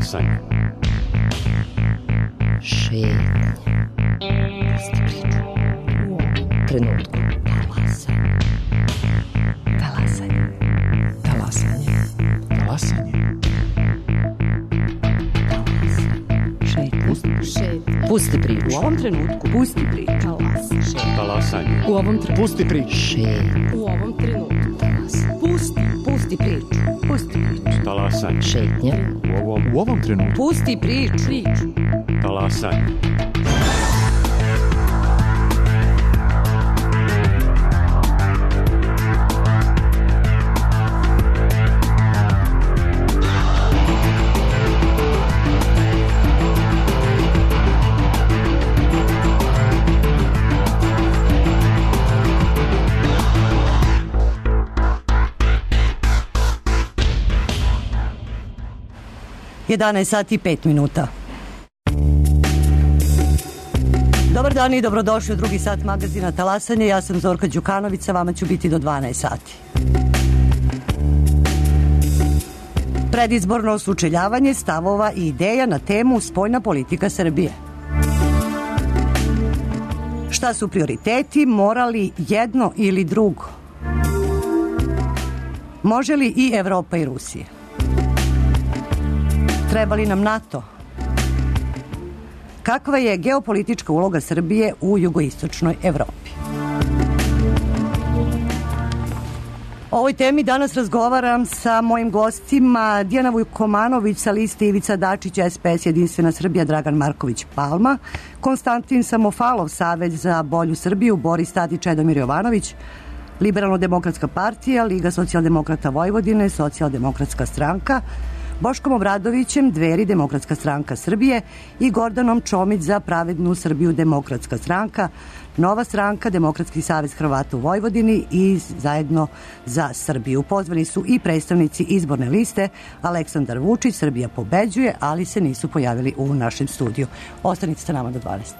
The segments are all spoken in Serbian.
Talasanje. Šetnja. Pusti priču. U ovom trenutku. Talasanje. Talasanje. Talasanje. Šetnja. Pusti priču. U ovom trenutku. Pusti priču. Talasanje. U ovom trenutku. Pusti priču. Šetnja. U ovom trenutku. Pusti priču. Pusti priču. Talasanje. Šetnja. U ovom trenutku. Pusti priču. Talasanje. Jedanaest sati i 5 minuta. Dobar dan i dobrodošli u drugi sat magazina Talasanje. Ja sam Zorka Đukanović, sa vama ću biti do 12 sati. Predizborno sučeljavanje stavova i ideja na temu spoljna politika Srbije. Šta su prioriteti, mora li jedno ili drugo? Može li i Evropa i Rusija? Treba li nam NATO? Kakva je geopolitička uloga Srbije u jugoistočnoj Evropi? O ovoj temi danas razgovaram sa mojim gostima: Dijana Vujkomanović sa liste Ivica Dačić, SPS, Jedinstvena Srbija, Dragan Marković Palma, Konstantin Samofalov, Savez za bolju Srbiju, Boris Tadić, Čedomir Jovanović, Liberalno-demokratska partija, Liga socijaldemokrata Vojvodine, Socijaldemokratska stranka, Boškom Obradovićem, Dveri, Demokratska stranka Srbije i Gordanom Čomić za pravednu Srbiju, Demokratska stranka, Nova stranka, Demokratski savez Hrvata u Vojvodini i Zajedno za Srbiju. Pozvani su i predstavnici izborne liste Aleksandar Vučić, Srbija pobeđuje, ali se nisu pojavili u našem studiju. Ostanite sa nama do 12.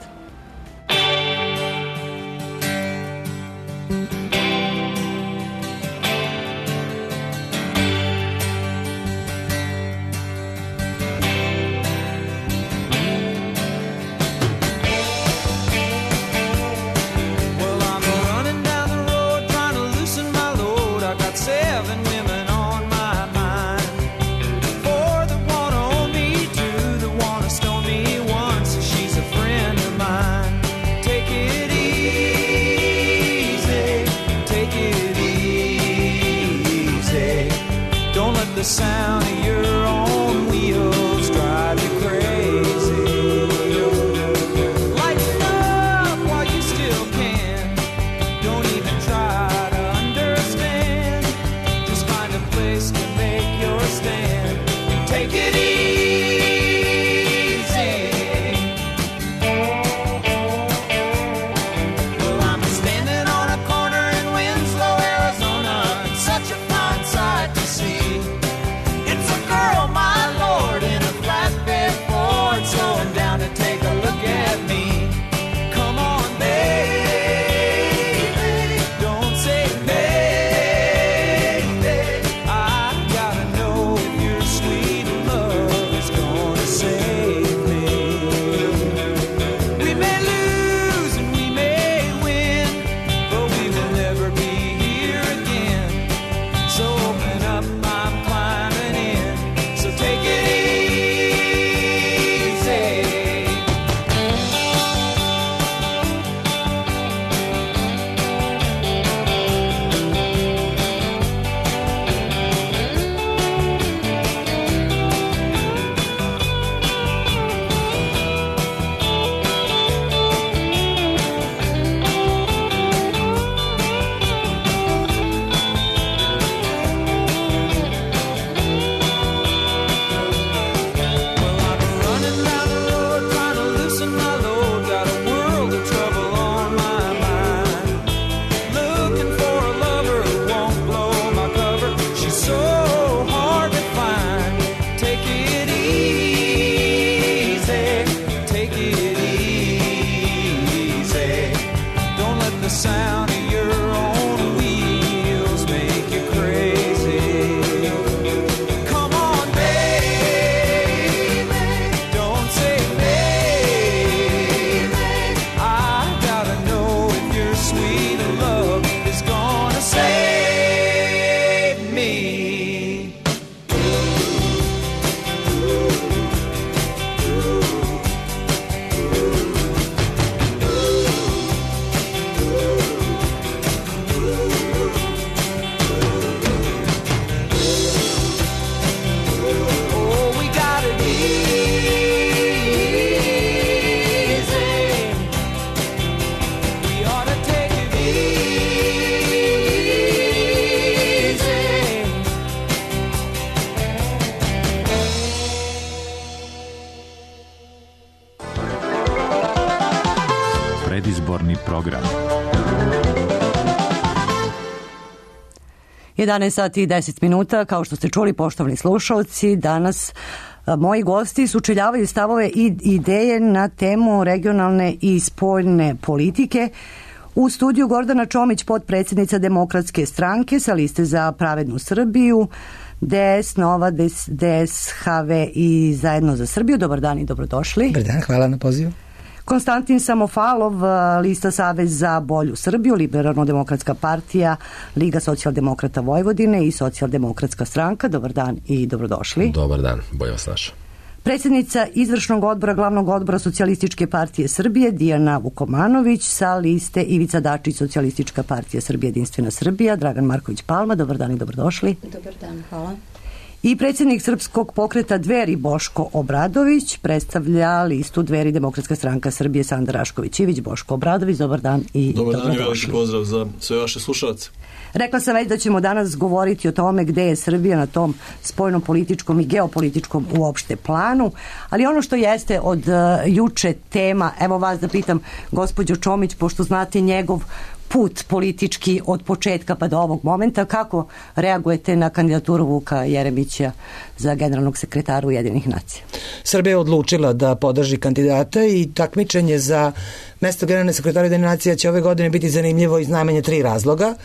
The sound of your own wheels drive you crazy. Lighten up while you still can. Don't even try to understand. Just find a place to make your stand. Take it easy. Well, I'm standing on a corner in Winslow, Arizona. It's such a fine sight to see. It's program. 11 sati i 10 minuta, kao što ste čuli, poštovani slušalci, danas moji gosti sučeljavaju stavove i ideje na temu regionalne i spoljne politike. U studiju Gordana Čomić, potpredsjednica Demokratske stranke sa liste Za pravednu Srbiju, DS, Nova, DSHV i Zajedno za Srbiju. Dobar dan i dobrodošli. Dobar dan, hvala na pozivu. Konstantin Samofalov, lista Savez za bolju Srbiju, Liberalno-demokratska partija, Liga socijaldemokrata Vojvodine i Socijaldemokratska stranka. Dobar dan i dobrodošli. Dobar dan, bolje vas našao. Predsjednica izvršnog odbora Glavnog odbora Socijalističke partije Srbije, Dijana Vukomanović, sa liste Ivica Dačić, Socijalistička partija Srbije, Jedinstvena Srbija, Dragan Marković Palma. Dobar dan i dobrodošli. Dobar dan, hvala. I predsjednik Srpskog pokreta Dveri, Boško Obradović, predstavlja listu Dveri, Demokratska stranka Srbije, Sanda Rašković-Ivić. Boško Obradović, dobar dan i dobrodošli. Dobar dan i veliki pozdrav za sve vaše slušalce. Rekla sam već da ćemo danas govoriti o tome gde je Srbija na tom spoljno-političkom i geopolitičkom uopšte planu, ali ono što jeste od juče tema, evo vas da pitam, gospođo Čomić, pošto znate njegov put politički od početka pa do ovog momenta, kako reagujete na kandidaturu Vuka Jeremića za generalnog sekretara Ujedinjenih nacija? Srbija je odlučila da podrži kandidata i takmičenje za mesto generalne sekretara Ujedinjenih nacija će ove godine biti zanimljivo iz najmanje 3 razloga.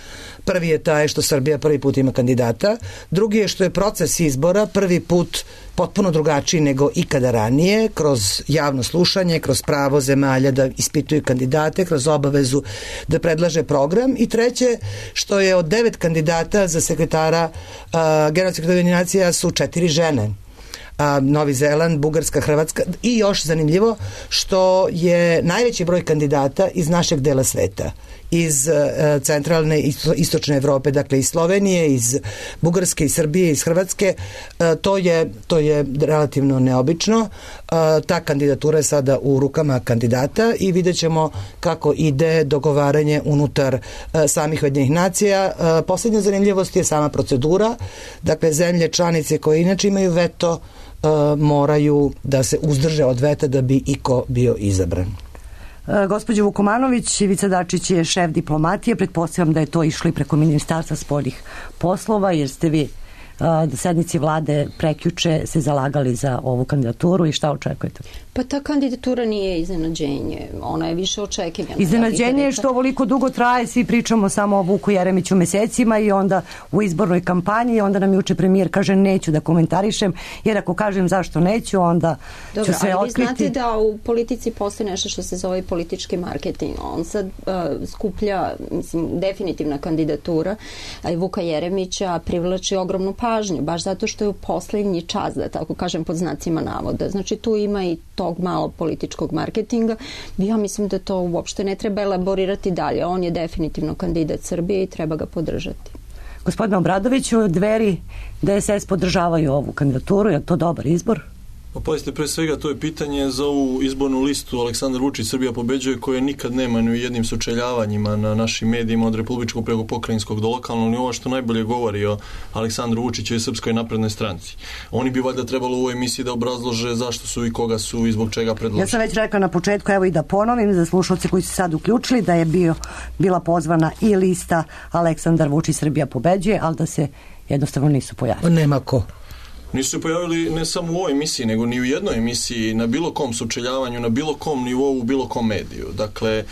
Prvi je taj što Srbija prvi put ima kandidata, drugi je što je proces izbora prvi put potpuno drugačiji nego ikada ranije, kroz javno slušanje, kroz pravo zemalja da ispituju kandidate, kroz obavezu da predlaže program, i treće što je od 9 kandidata za sekretara generalnog sekretara Ujedinjenih nacija su 4 žene. Novi Zeland, Bugarska, Hrvatska, i još zanimljivo što je najveći broj kandidata iz našeg dela sveta, iz centralne i istočne Evrope, dakle iz Slovenije, iz Bugarske, iz Srbije, iz Hrvatske. To je relativno neobično. Ta kandidatura je sada u rukama kandidata i vidjet ćemo kako ide dogovaranje unutar samih Ujedinjenih nacija. Poslednja zanimljivost je sama procedura. Dakle, zemlje članice koje inače imaju veto moraju da se uzdrže od veta da bi iko bio izabran. Gospođo Vukomanović, Ivica Dačić je šef diplomatije, pretpostavljam da je to išlo i preko Ministarstva spoljnih poslova, jer ste vi na sednici vlade prekjuče se zalagali za ovu kandidaturu, i šta očekujete? Pa ta kandidatura nije iznenađenje, ona je više očekivana. Iznenađenje je što ovoliko dugo traje, svi pričamo samo o Vuku Jeremiću mesecima i onda u izbornoj kampanji, onda nam juče premijer kaže neću da komentarišem, jer ako kažem zašto neću, onda ću sve otkriti. Ali vi znate da u politici postoji nešto što se zove politički marketing. On sad skuplja, definitivna kandidatura Vuka Jeremića privlači ogromnu pažnju, baš zato što je u poslednji čas, da tako kažem pod znacima navoda. Znači tu ima i tog malo političkog marketinga. Ja mislim da to uopšte ne treba elaborirati dalje. On je definitivno kandidat Srbije i treba ga podržati. Gospodine Obradoviću, Dveri, DSS podržavaju ovu kandidaturu, je to dobar izbor? Pa pazite, pre svega to je pitanje za ovu izbornu listu Aleksandar Vučić Srbija pobeđuje, koje nikad nema ni u jednim sučeljavanjima na našim medijima od republičkog preko pokrajinskog do lokalnog nivoa, što najbolje govori o Aleksandru Vučiću i Srpskoj naprednoj stranci. Oni bi valjda trebalo u ovoj emisiji da obrazlože zašto su i koga su i zbog čega predložili. Ja sam već rekla na početku, evo i da ponovim za slušalce koji su sad uključili, da je bila pozvana i lista Aleksandar Vučić Srbija pobeđuje, ali da se jednostavno nisu pojavili. Nema ko. Nisu se pojavili ne samo u ovoj emisiji, nego ni u jednoj emisiji, na bilo kom sučeljavanju, na bilo kom nivou, u bilo kom mediju. Dakle,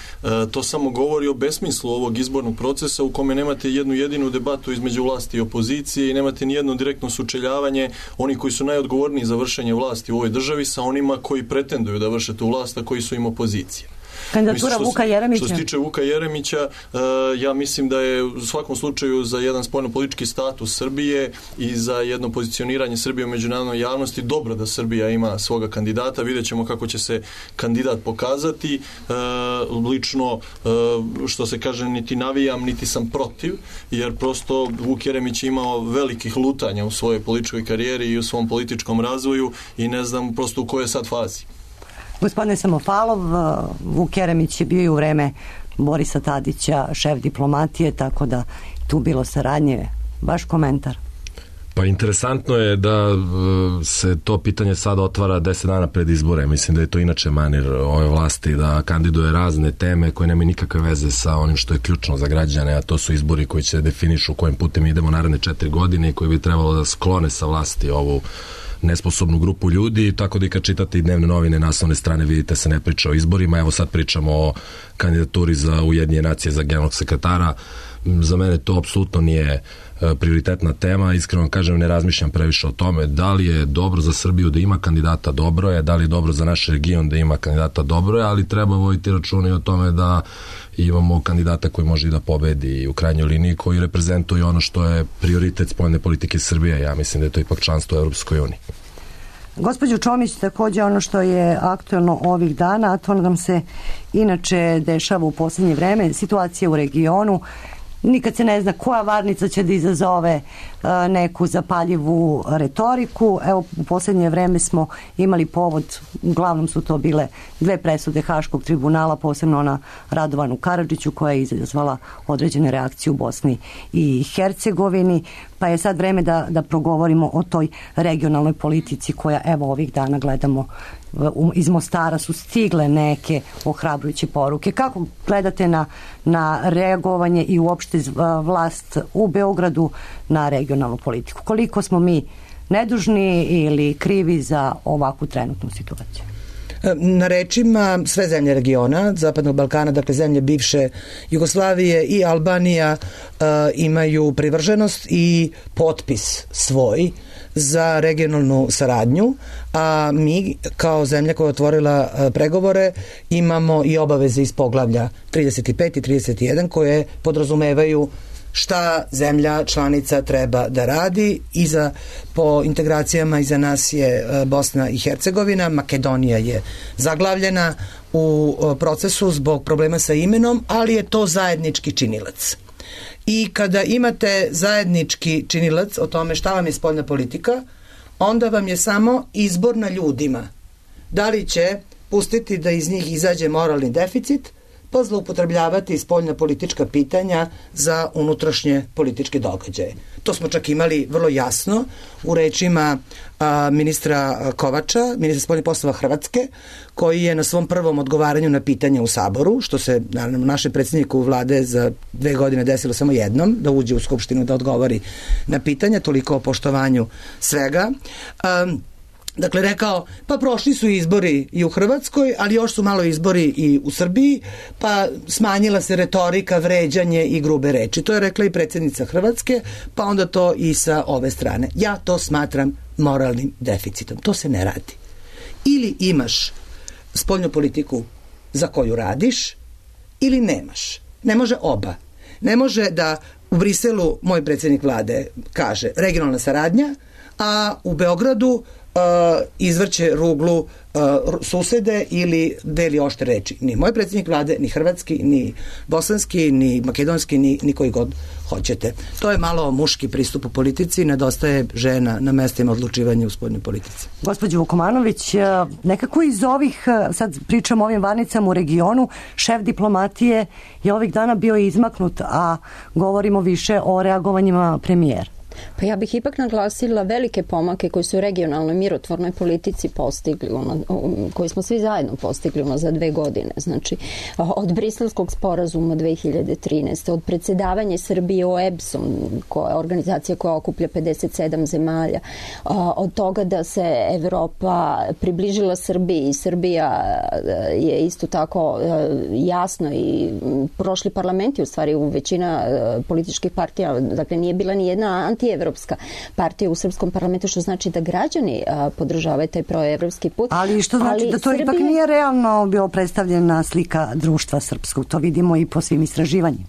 to samo govori o besmislu ovog izbornog procesa u kome nemate jednu jedinu debatu između vlasti i opozicije i nemate ni jedno direktno sučeljavanje onih koji su najodgovorniji za vršenje vlasti u ovoj državi sa onima koji pretenduju da vrše tu vlast, a koji su im opozicija. Kandidatura Vuka Jeremića. Što se tiče Vuka Jeremića, ja mislim da je u svakom slučaju za jedan spoljno-politički status Srbije i za jedno pozicioniranje Srbije u međunarodnoj javnosti dobro da Srbija ima svoga kandidata. Vidjet ćemo kako će se kandidat pokazati. Lično, što se kaže, niti navijam, niti sam protiv, jer prosto Vuk Jeremić je imao velikih lutanja u svojoj političkoj karijeri i u svom političkom razvoju i ne znam prosto u kojoj je sad fazi. Gospodine Samofalov, Vuk Jeremić je bio i u vreme Borisa Tadića šef diplomatije, tako da tu bilo saradnje. Vaš komentar? Pa interesantno je da se to pitanje sad otvara 10 dana pred izbore. Mislim da je to inače manir ove vlasti da kandiduje razne teme koje nemaju nikakve veze sa onim što je ključno za građane, a to su izbori koji će definišu kojim putem idemo naredne 4 godine i koji bi trebalo da sklone sa vlasti ovu nesposobnu grupu ljudi, tako da i kad čitate i dnevne novine, naslovne strane, vidite se ne priča o izborima. Evo sad pričamo o kandidaturi za Ujedinjene nacije za generalnog sekretara. Za mene to apsolutno nije prioritetna tema, iskreno kažem, ne razmišljam previše o tome. Da li je dobro za Srbiju da ima kandidata, dobro je, da li je dobro za naš region da ima kandidata, dobro je, ali treba voditi računa i o tome da imamo kandidata koji može i da pobedi u krajnjoj liniji, koji reprezentuje ono što je prioritet spoljne politike Srbije. Ja mislim da je to ipak članstvo u Europskoj uniji. Gospođo Čomić, takođe ono što je aktuelno ovih dana, a to nam se inače dešava u poslednje vreme, situacija u regionu. Nikad se ne zna koja varnica će da izazove neku zapaljivu retoriku. Evo, u poslednje vreme smo imali povod, uglavnom su to bile 2 presude Haškog tribunala, posebno na Radovanu Karadžiću, koja je izazvala određene reakcije u Bosni i Hercegovini, pa je sad vreme da progovorimo o toj regionalnoj politici koja, evo, ovih dana gledamo, iz Mostara su stigle neke ohrabrujuće poruke. Kako gledate na reagovanje i uopšte vlast u Beogradu na regionalnu politiku? Koliko smo mi nedužni ili krivi za ovakvu trenutnu situaciju? Na rečima sve zemlje regiona, Zapadnog Balkana, dakle zemlje bivše Jugoslavije i Albanija imaju privrženost i potpis svoj za regionalnu saradnju, a mi kao zemlja koja je otvorila pregovore imamo i obaveze iz poglavlja 35 i 31 koje podrazumevaju šta zemlja članica treba da radi. Po integracijama iza nas je Bosna i Hercegovina, Makedonija je zaglavljena u procesu zbog problema sa imenom, ali je to zajednički činilac. I kada imate zajednički činilac o tome šta vam je spoljna politika, onda vam je samo izbor na ljudima. Da li će pustiti da iz njih izađe moralni deficit, pa zloupotrebljavati spoljna politička pitanja za unutrašnje političke događaje. To smo čak imali vrlo jasno u rečima ministra Kovača, ministra spoljnih poslova Hrvatske, koji je na svom prvom odgovaranju na pitanja u Saboru, što se naravno našem predsjedniku vlade za 2 godine desilo samo jednom, da uđe u Skupštinu da odgovori na pitanja, toliko o poštovanju svega. Dakle, rekao, pa prošli su izbori i u Hrvatskoj, ali još su malo izbori i u Srbiji, pa smanjila se retorika, vređanje i grube reči. To je rekla i predsjednica Hrvatske, pa onda to i sa ove strane. Ja to smatram moralnim deficitom. To se ne radi. Ili imaš spoljnu politiku za koju radiš, ili nemaš. Ne može oba. Ne može da u Briselu moj predsjednik vlade kaže regionalna saradnja, a u Beogradu izvrće ruglu susede ili deli oštre reči. Ni moj predsjednik vlade, ni hrvatski, ni bosanski, ni makedonski, ni koji god hoćete. To je malo muški pristup u politici, nedostaje žena na mestima odlučivanja u spoljnoj politici. Gospođo Vukomanović, nekako iz ovih, sad pričamo o ovim varnicama u regionu, šef diplomatije je ovih dana bio izmaknut, a govorimo više o reagovanjima premijera. Pa ja bih ipak naglasila velike pomake koji su u regionalnoj mirotvornoj politici postigli, koji smo svi zajedno postigli za 2 godine. Znači, od Briselskog sporazuma 2013. od predsedavanja Srbije OEBS-om, koja je organizacija koja okuplja 57 zemalja, od toga da se Evropa približila Srbiji i Srbija je isto tako jasno i prošli parlamenti, u stvari u većina političkih partija, dakle nije bila ni jedna antievropska partija u srpskom parlamentu, što znači da građani podržavaju taj proevropski put. Ali što znači da to ipak nije realno bio predstavljena slika društva srpskog, to vidimo i po svim istraživanjima.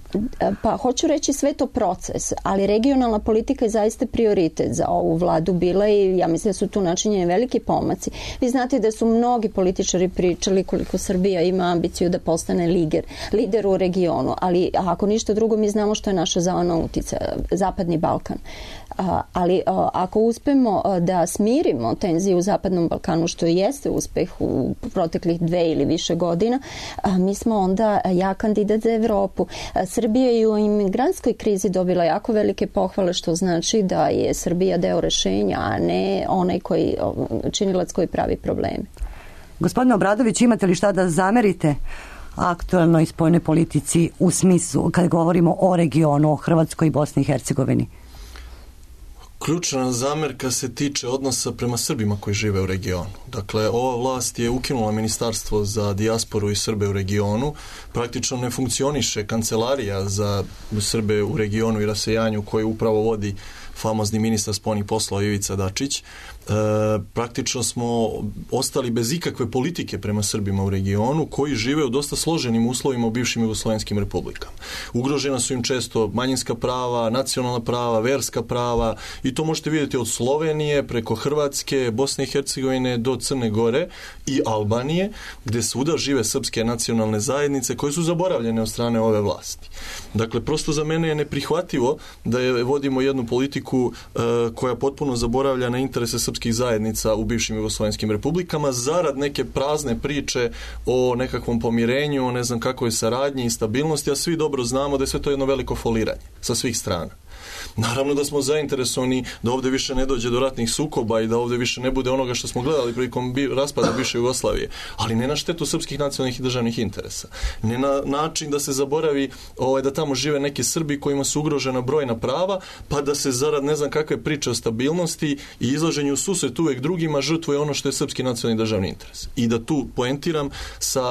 Pa hoću reći sve to proces, ali regionalna politika je zaista prioritet za ovu vladu bila i ja mislim da su tu načinjeni veliki pomaci. Vi znate da su mnogi političari pričali koliko Srbija ima ambiciju da postane lider u regionu, ali ako ništa drugo mi znamo što je naša zona uticaja, Zapadni Balkan. Ali ako uspemo da smirimo tenziju u Zapadnom Balkanu, što jeste uspeh u proteklih 2 ili više godina, mi smo onda jak kandidat za Evropu. Srbija je u imigrantskoj krizi dobila jako velike pohvale, što znači da je Srbija deo rešenja, a ne onaj činilac koji pravi probleme. Gospodine Obradović, imate li šta da zamerite aktuelnoj spoljnoj politici u smislu kad govorimo o regionu, o Hrvatskoj i Bosni i Hercegovini? Ključna zamerka se tiče odnosa prema Srbima koji žive u regionu. Dakle, ova vlast je ukinula Ministarstvo za dijasporu i Srbe u regionu. Praktično ne funkcioniše kancelarija za Srbe u regionu i rasejanju koju upravo vodi famozni ministar spoljnih poslova Ivica Dačić. Praktično smo ostali bez ikakve politike prema Srbima u regionu koji žive u dosta složenim uslovima u bivšim jugoslovenskim republikama. Ugrožena su im često manjinska prava, nacionalna prava, verska prava i to možete vidjeti od Slovenije preko Hrvatske, Bosne i Hercegovine do Crne Gore i Albanije, gde svuda žive srpske nacionalne zajednice koje su zaboravljene od strane ove vlasti. Dakle, prosto za mene je neprihvatljivo da vodimo jednu politiku koja potpuno zaboravlja na interese srpskih zajednica u bivšim jugoslovenskim republikama zarad neke prazne priče o nekakvom pomirenju, o ne znam kakvoj saradnji i stabilnosti, a svi dobro znamo da je sve to jedno veliko foliranje sa svih strana. Naravno da smo zainteresovani da ovde više ne dođe do ratnih sukoba i da ovde više ne bude onoga što smo gledali prilikom raspada bivše Jugoslavije, ali ne na štetu srpskih nacionalnih i državnih interesa. Ne na način da se zaboravi da tamo žive neki Srbi kojima su ugrožena brojna prava, pa da se zarad ne znam kakve priče o stabilnosti i izlaženju u susret uvek drugima žrtvuje ono što je srpski nacionalni državni interes. I da tu poentiram sa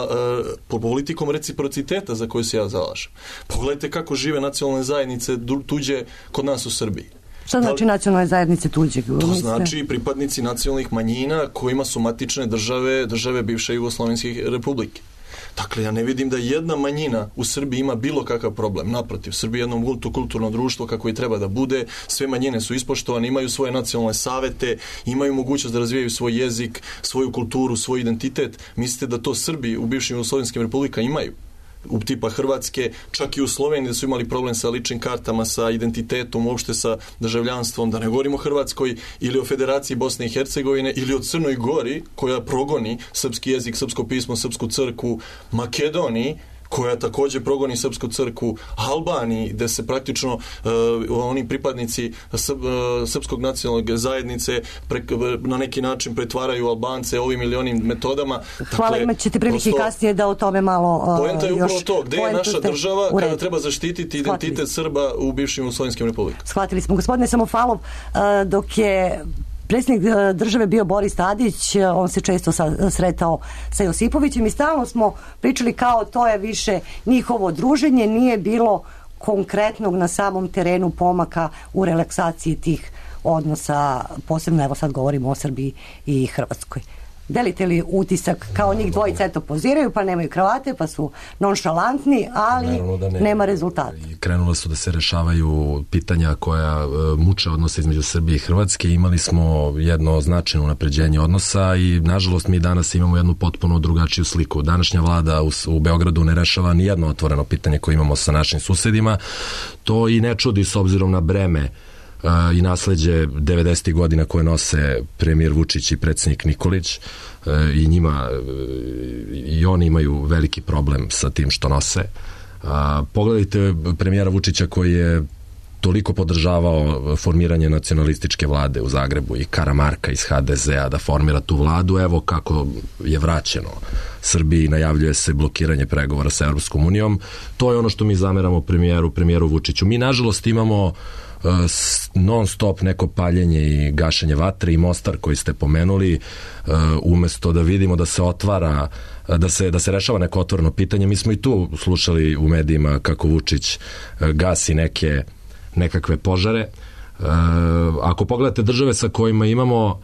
politikom reciprociteta za koju se ja zalažem. Pogledajte kako žive nacionalne zajednice tuđe kod nas u Srbiji. Šta znači nacionalne zajednice tuđe? To znači pripadnici nacionalnih manjina kojima su matične države bivše Jugoslovenske republike. Dakle, ja ne vidim da jedna manjina u Srbiji ima bilo kakav problem. Naprotiv, Srbija je jedno multikulturno društvo kako i treba da bude. Sve manjine su ispoštovane, imaju svoje nacionalne savete, imaju mogućnost da razvijaju svoj jezik, svoju kulturu, svoj identitet. Mislite da to Srbi u bivšim jugoslovenskim republikama imaju? U tipa Hrvatske, čak i u Sloveniji da su imali problem sa ličnim kartama, sa identitetom, uopšte sa državljanstvom, da ne govorimo o Hrvatskoj ili o Federaciji Bosne i Hercegovine ili o Crnoj Gori koja progoni srpski jezik, srpsko pismo, srpsku crkvu, Makedoniji koja takođe progoni srpsku crkvu, Albaniji, gde se praktično oni pripadnici srpskog nacionalnog zajednice na neki način pretvaraju Albance ovim ili onim metodama. Hvala, imat ćete prilike kasnije da o tome malo poenta je upravo to, gde je naša država kada treba zaštititi identitet Srba u bivšim jugoslovenskim republikama. Shvatili smo. Gospodine Samofalov, dok je predsjednik države bio Boris Tadić, on se često sretao sa Josipovićem i stalno smo pričali kao to je više njihovo druženje, nije bilo konkretnog na samom terenu pomaka u relaksaciji tih odnosa, posebno evo sad govorimo o Srbiji i Hrvatskoj. Delite li utisak kao njih dvojica eto poziraju pa nemaju kravate pa su nonšalantni, ali nema rezultata. Krenula su da se rešavaju pitanja koja muče odnose između Srbije i Hrvatske. Imali smo jedno značajno unapređenje odnosa i nažalost mi danas imamo jednu potpuno drugačiju sliku. Današnja vlada u Beogradu ne rešava ni jedno otvoreno pitanje koje imamo sa našim susedima. To i ne čudi s obzirom na breme i nasleđe 90. godina koje nose premijer Vučić i predsjednik Nikolić i njima i oni imaju veliki problem sa tim što nose. Pogledajte premijera Vučića koji je toliko podržavao formiranje nacionalističke vlade u Zagrebu i Karamarka iz HDZ-a da formira tu vladu, evo kako je vraćeno Srbiji, najavljuje se blokiranje pregovora sa Europskom unijom. To je ono što mi zameramo premijeru Vučiću. Mi nažalost imamo non stop neko paljenje i gašenje vatre i Mostar koji ste pomenuli, umesto da vidimo da se otvara, da se rešava neko otvoreno pitanje. Mi smo i tu slušali u medijima kako Vučić gasi nekakve požare. Ako pogledate države sa kojima imamo,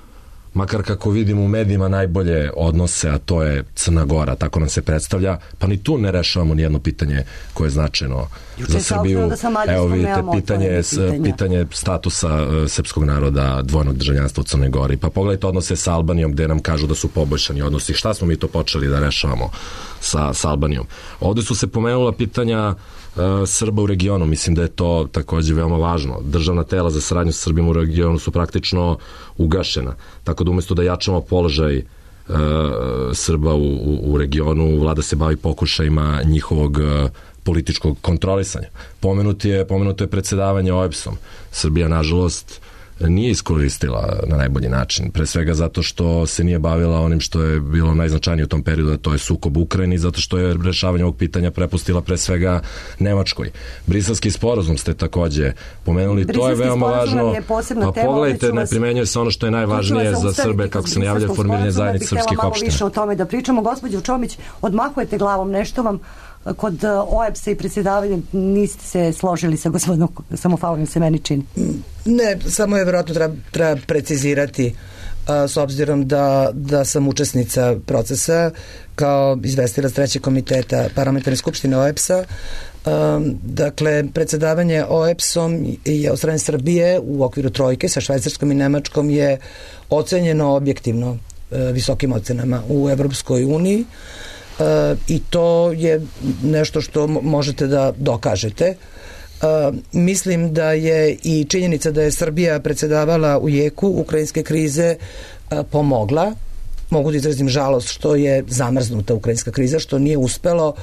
makar kako vidimo u medijima, najbolje odnose, a to je Crna Gora, tako nam se predstavlja, pa ni tu ne rešavamo nijedno pitanje koje je značajno za Srbiju. Evo vidite, pitanje statusa srpskog naroda, dvojnog državljanstva u Crnoj Gori. Pa pogledajte odnose sa Albanijom gde nam kažu da su poboljšani odnosi. Šta smo mi to počeli da rešavamo sa Albanijom? Ovde su se pomenula pitanja Srba u regionu. Mislim da je to takođe veoma važno. Državna tela za saradnju sa Srbima u regionu su praktično ugašena. Tako da umesto da jačamo položaj Srba u regionu, vlada se bavi pokušajima njihovog političkog kontrolisanja. Pomenuto je predsedavanje OEBS-om. Srbija, nažalost, nije iskoristila na najbolji način. Pre svega zato što se nije bavila onim što je bilo najznačajnije u tom periodu, a to je sukob u Ukrajini, zato što je rešavanje ovog pitanja prepustila pre svega Nemačkoj. Briselski sporazum ste takođe pomenuli, to je veoma važno. Pa pogledajte, ne primenjuje se ono što je najvažnije za Srbe, kako se najavlja formiranje zajednice srpskih opština. Malo više o tome da pričamo. Gospođo Čomić, odmahujete glavom, nešto vam kod OEBS-a i predsjedavanja niste se složili sa gospodinom Samofalovim, se meni čini. Ne, samo je vjerojatno treba precizirati s obzirom da sam učesnica procesa kao izvestilac trećeg komiteta parlamentarne skupštine OEBS-a. Dakle, predsjedavanje OEBS-om je od strane Srbije u okviru trojke sa Švajcarskom i Nemačkom je ocenjeno objektivno visokim ocenama u Evropskoj uniji. I to je nešto što možete da dokažete. Mislim da je i činjenica da je Srbija predsedavala u jeku ukrajinske krize pomogla. Mogu da izrazim žalost što je zamrznuta ukrajinska kriza, što nije uspelo.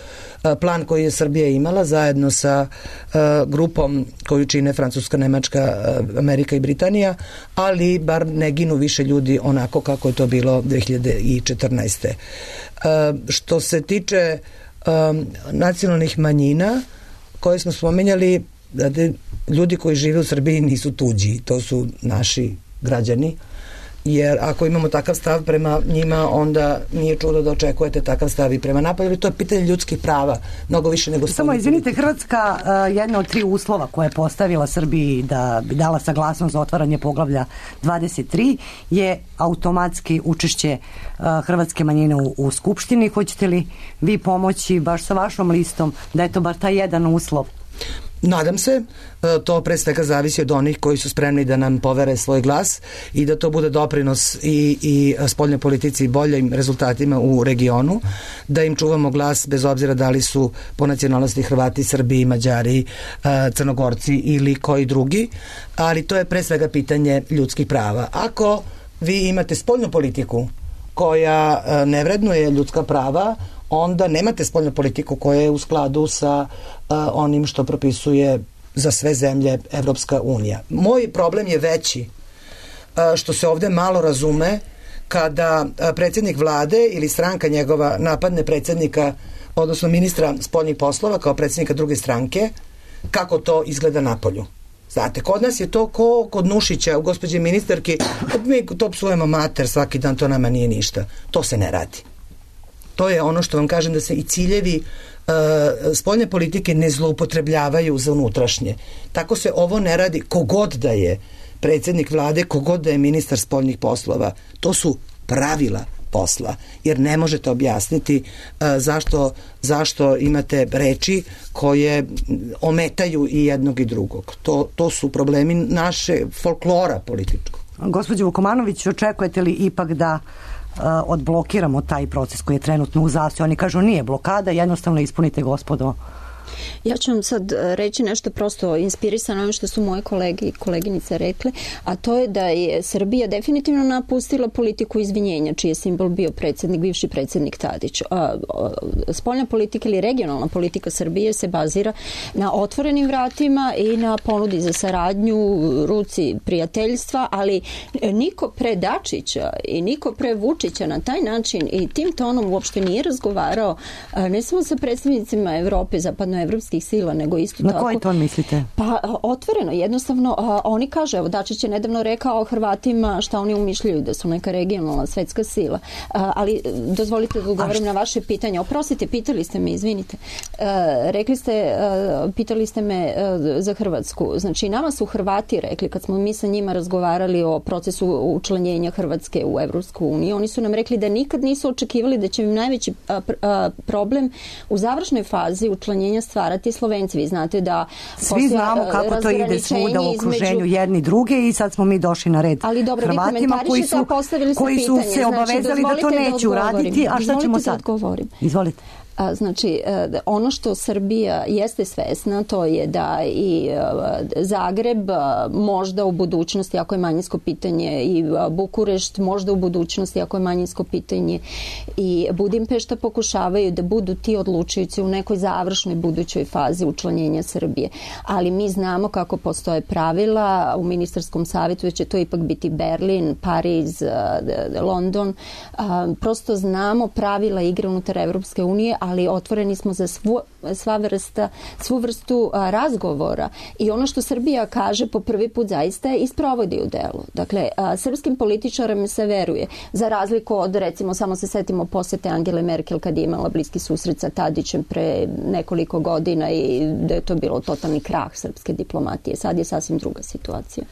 Plan koji je Srbija imala zajedno sa grupom koju čine Francuska, Nemačka, Amerika i Britanija, ali bar ne ginu više ljudi onako kako je to bilo 2014. Što se tiče nacionalnih manjina koje smo spomenjali, ljudi koji žive u Srbiji nisu tuđi, to su naši građani, jer ako imamo takav stav prema njima, onda nije čudo da očekujete takav stav i prema napolju, ali to je pitanje ljudskih prava, mnogo više nego... Samo, izvinite, Hrvatska jedna od 3 uslova koje je postavila Srbiji da bi dala saglasnost za otvaranje poglavlja 23 je automatski učešće hrvatske manjine u Skupštini. Hoćete li vi pomoći baš sa vašom listom da je to bar taj jedan uslov? Nadam se, to pre svega zavisi od onih koji su spremni da nam povere svoj glas i da to bude doprinos i spoljnoj politici i boljim rezultatima u regionu, da im čuvamo glas bez obzira da li su po nacionalnosti Hrvati, Srbi, Mađari, Crnogorci ili koji drugi, ali to je pre svega pitanje ljudskih prava. Ako vi imate spoljnu politiku koja ne vrednuje ljudska prava, onda nemate spoljnu politiku koja je u skladu sa onim što propisuje za sve zemlje Evropska unija. Moj problem je veći što se ovde malo razume kada predsjednik vlade ili stranka njegova napadne predsjednika, odnosno ministra spoljnih poslova kao predsjednika druge stranke, kako to izgleda napolju. Znate, kod nas je to ko kod Nušića u gospođe ministarki, mi to psujemo mater svaki dan, to nama nije ništa. To se ne radi. To je ono što vam kažem, da se i ciljevi spoljne politike ne zloupotrebljavaju za unutrašnje. Tako se ovo ne radi kogod da je predsjednik vlade, kogod da je ministar spoljnih poslova. To su pravila posla, jer ne možete objasniti zašto imate reči koje ometaju i jednog i drugog. To su problemi naše folklora političkog. Gospođo Vukomanović, očekujete li ipak da odblokiramo taj proces koji je trenutno u zastoju? Oni kažu nije blokada, jednostavno ispunite, gospodo. Ja ću vam sad reći nešto prosto inspirisano ono što su moje kolege i koleginice rekle, a to je da je Srbija definitivno napustila politiku izvinjenja, čiji je simbol bio bivši predsjednik Tadić. Spoljna politika ili regionalna politika Srbije se bazira na otvorenim vratima i na ponudi za saradnju, ruci prijateljstva, ali niko pre Dačića i niko pre Vučića na taj način i tim tonom uopšte nije razgovarao ne samo sa predstavnicima Evrope, zapadnoevropskih sila, nego isto tako... Na koji ton mislite? Pa otvoreno, jednostavno, oni kaže, evo Dačić je nedavno rekao o Hrvatima šta oni umišljaju, da su neka regionalna svetska sila. Ali dozvolite da odgovorim na vaše pitanje. Oprostite, pitali ste me, izvinite. Rekli ste, pitali ste me za Hrvatsku. Znači, nama su Hrvati rekli, kad smo mi sa njima razgovarali o procesu učlanjenja Hrvatske u Evropsku uniju, oni su nam rekli da nikad nisu očekivali da će im najveći problem u završnoj fazi učlanjenja stvarati Slovenci. Vi znate da... Svi znamo kako to ide svuda u okruženju jedni druge i sad smo mi došli na red Hrvatima koji su se obavezali da to neće uraditi. A šta ćemo sad? Izvolite. Znači, ono što Srbija jeste svesna, to je da i Zagreb možda u budućnosti, ako je manjinsko pitanje, i Bukurešt možda u budućnosti, ako je manjinsko pitanje, i Budimpešta pokušavaju da budu ti odlučujući u nekoj završnoj budućoj fazi učlanjenja Srbije. Ali mi znamo kako postoje pravila u ministarskom savjetu, da će to ipak biti Berlin, Pariz, London. Prosto znamo pravila igre unutar Evropske unije, ali otvoreni smo za svu vrstu razgovora. I ono što Srbija kaže po prvi put zaista je isprovodi u delu. Dakle, srpskim političarima se veruje. Za razliku od, recimo, samo se setimo posete Angele Merkel kad je imala bliski susret sa Tadićem pre nekoliko godina i da je to bilo totalni krah srpske diplomatije. Sad je sasvim druga situacija.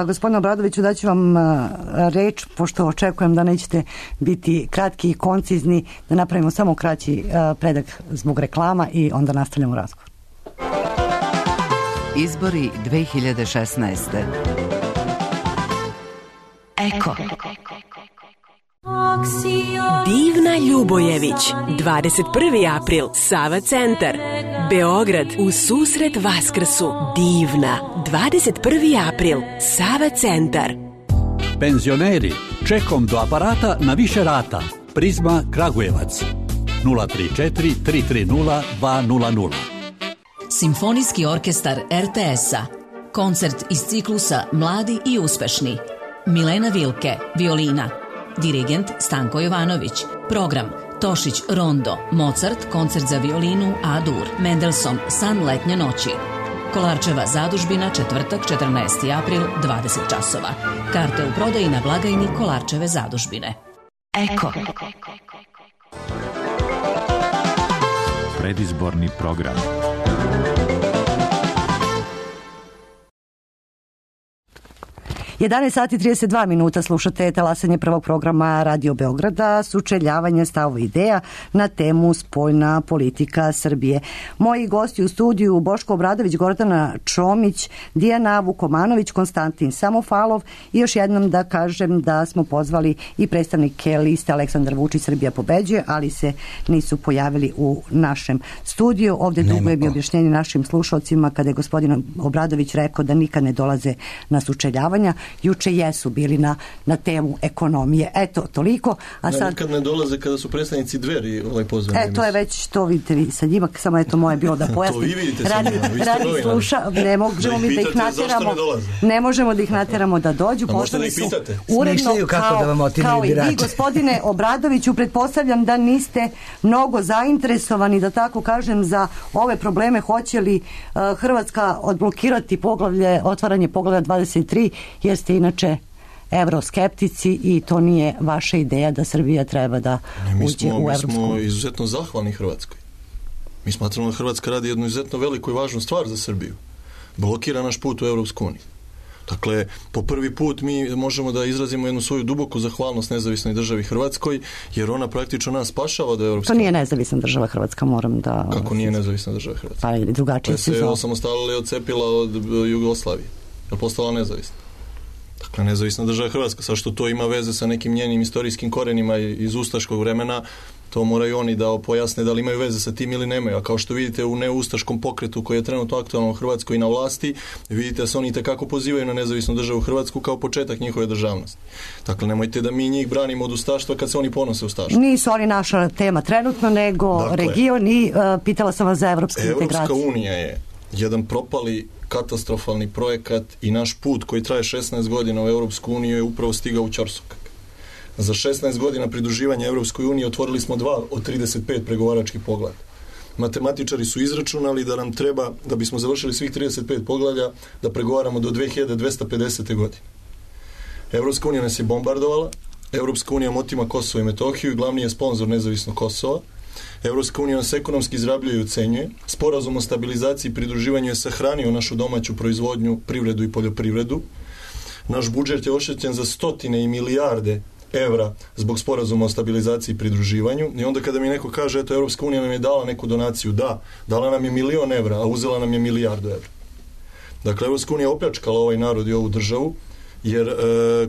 Gospodine Obradoviću, daću vam reč, pošto očekujem da nećete biti kratki i koncizni, da napravimo samo kraći predak zbog reklama i onda nastavljamo razgovor. Izbori 2016. Eko. Divna Ljubojević, 21. april, Sava centar, Beograd, u susret Vaskrsu. Divna, 21. april, Sava centar. Penzioneri, čekom do aparata na više rata. Prizma Kragujevac, 034 330 200. Simfonijski orkestar RTS-a. Koncert iz ciklusa Mladi i uspešni. Milena Vilke, violina. Dirigent Stanko Jovanović. Program Tošić Rondo, Mozart, koncert za violinu A-dur, Mendelssohn, San letnje noći. Kolarčeva zadužbina, četvrtak, 14. april, 20 časova. Karte u prodaji na blagajni Kolarčeve zadužbine. Eko. Predizborni program. sati 32 minuta slušate talasanje prvog programa Radio Beograda, sučeljavanje stavova ideja na temu spoljna politika Srbije. Moji gosti u studiju Boško Obradović, Gordana Čomić, Dijana Vukomanović, Konstantin Samofalov i još jednom da kažem da smo pozvali i predstavnike liste Aleksandar Vučić Srbija pobeđuje, ali se nisu pojavili u našem studiju. Ovde dugujem i objašnjenje našim slušalcima kada je gospodin Obradović rekao da nikad ne dolaze na sučeljavanja. Juče jesu bili na temu ekonomije. Eto, toliko. A sad... Nikad ne dolaze kada su predstavnici Dveri pozvani. To je već, to vidite vi sa njima, samo eto moje bilo da pojasnim. To vi vidite sa njima, vi ste novinari. Ne možemo mi da ih nateramo. Ne možemo da ih nateramo da dođu. A možete da ih pitate. Uredno, kao i vi, gospodine Obradoviću, pretpostavljam da niste mnogo zainteresovani, da tako kažem, za ove probleme. Hoće li Hrvatska odblokirati otvaranje poglavlja 23, jer ste inače evroskeptici i to nije vaša ideja da Srbija treba da uđe u Evropsku. Mi smo izuzetno zahvalni Hrvatskoj. Mi smatramo da Hrvatska radi jednu izuzetno veliku i važnu stvar za Srbiju. Blokira naš put u Evropsku uniju. Dakle, po prvi put mi možemo da izrazimo jednu svoju duboku zahvalnost nezavisnoj državi Hrvatskoj, jer ona praktično nas spašava do Evropske. To nije nezavisna država Hrvatska, moram da... Kako nije nezavisna država Hrvatska? Pa ili drugačije se zove. Se osamostalila i odcepila od Jugoslavije. Je postala nezavisna. Dakle, nezavisna država Hrvatska. Sad što to ima veze sa nekim njenim istorijskim korenima iz ustaškog vremena, to moraju oni da pojasne da li imaju veze sa tim ili nemaju. A kao što vidite u neustaškom pokretu koji je trenutno aktualno u Hrvatskoj i na vlasti, vidite da se oni tekako pozivaju na nezavisnu državu Hrvatsku kao početak njihove državnosti. Dakle, nemojte da mi njih branimo od ustaštva kad se oni ponose ustaštva. Nisu oni naša tema trenutno, nego region i pitala sam vas za evropske integracije. Evropska unija je jedan propali katastrofalni projekat i naš put koji traje 16 godina u Evropsku uniju je upravo stigao u ćorsokak. Za 16 godina pridruživanja Evropskoj uniji otvorili smo 2 od 35 pregovaračkih poglavlja. Matematičari su izračunali da nam treba, da bismo završili svih 35 poglavlja, da pregovaramo do 2250. godine. Evropska unija nas je bombardovala, Evropska unija otima Kosovo i Metohiju i glavni je sponsor nezavisnog Kosova. Evropska unija nas ekonomski izrabljuje i ucenjuje. Sporazum o stabilizaciji i pridruživanju je sahranio našu domaću proizvodnju, privredu i poljoprivredu. Naš budžet je oštećen za stotine i milijarde evra zbog sporazuma o stabilizaciji i pridruživanju. I onda kada mi neko kaže, eto, Evropska unija nam je dala neku donaciju, dala nam je 1.000.000 evra, a uzela nam je 1.000.000 evra. Dakle, Evropska unija opljačkala ovaj narod i ovu državu jer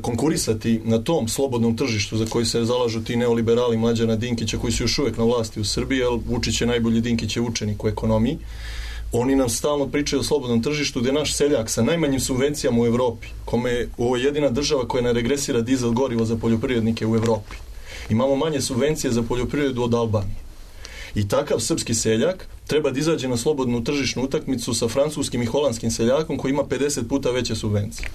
konkurisati na tom slobodnom tržištu za koji se zalažu ti neoliberali Mlađana Dinkića koji su još uvijek na vlasti u Srbiji, jer Vučić je najbolji Dinkićev učenik u ekonomiji, oni nam stalno pričaju o slobodnom tržištu gdje naš seljak sa najmanjim subvencijama u Evropi, kome je ovo jedina država koja ne regresira dizel gorivo za poljoprivrednike u Evropi. Imamo manje subvencije za poljoprivredu od Albanije. I takav srpski seljak treba da izađe na slobodnu tržišnu utakmicu sa francuskim i holandskim seljakom koji ima 50 puta veće subvencije.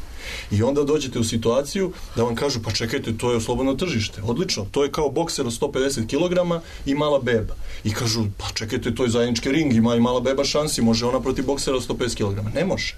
I onda dođete u situaciju da vam kažu pa čekajte, to je slobodno tržište. Odlično, to je kao bokser od 150 kg i mala beba. I kažu pa čekajte, to je zajednički ring, ima i mala beba šansi, može ona protiv boksera od 150 kg. Ne može.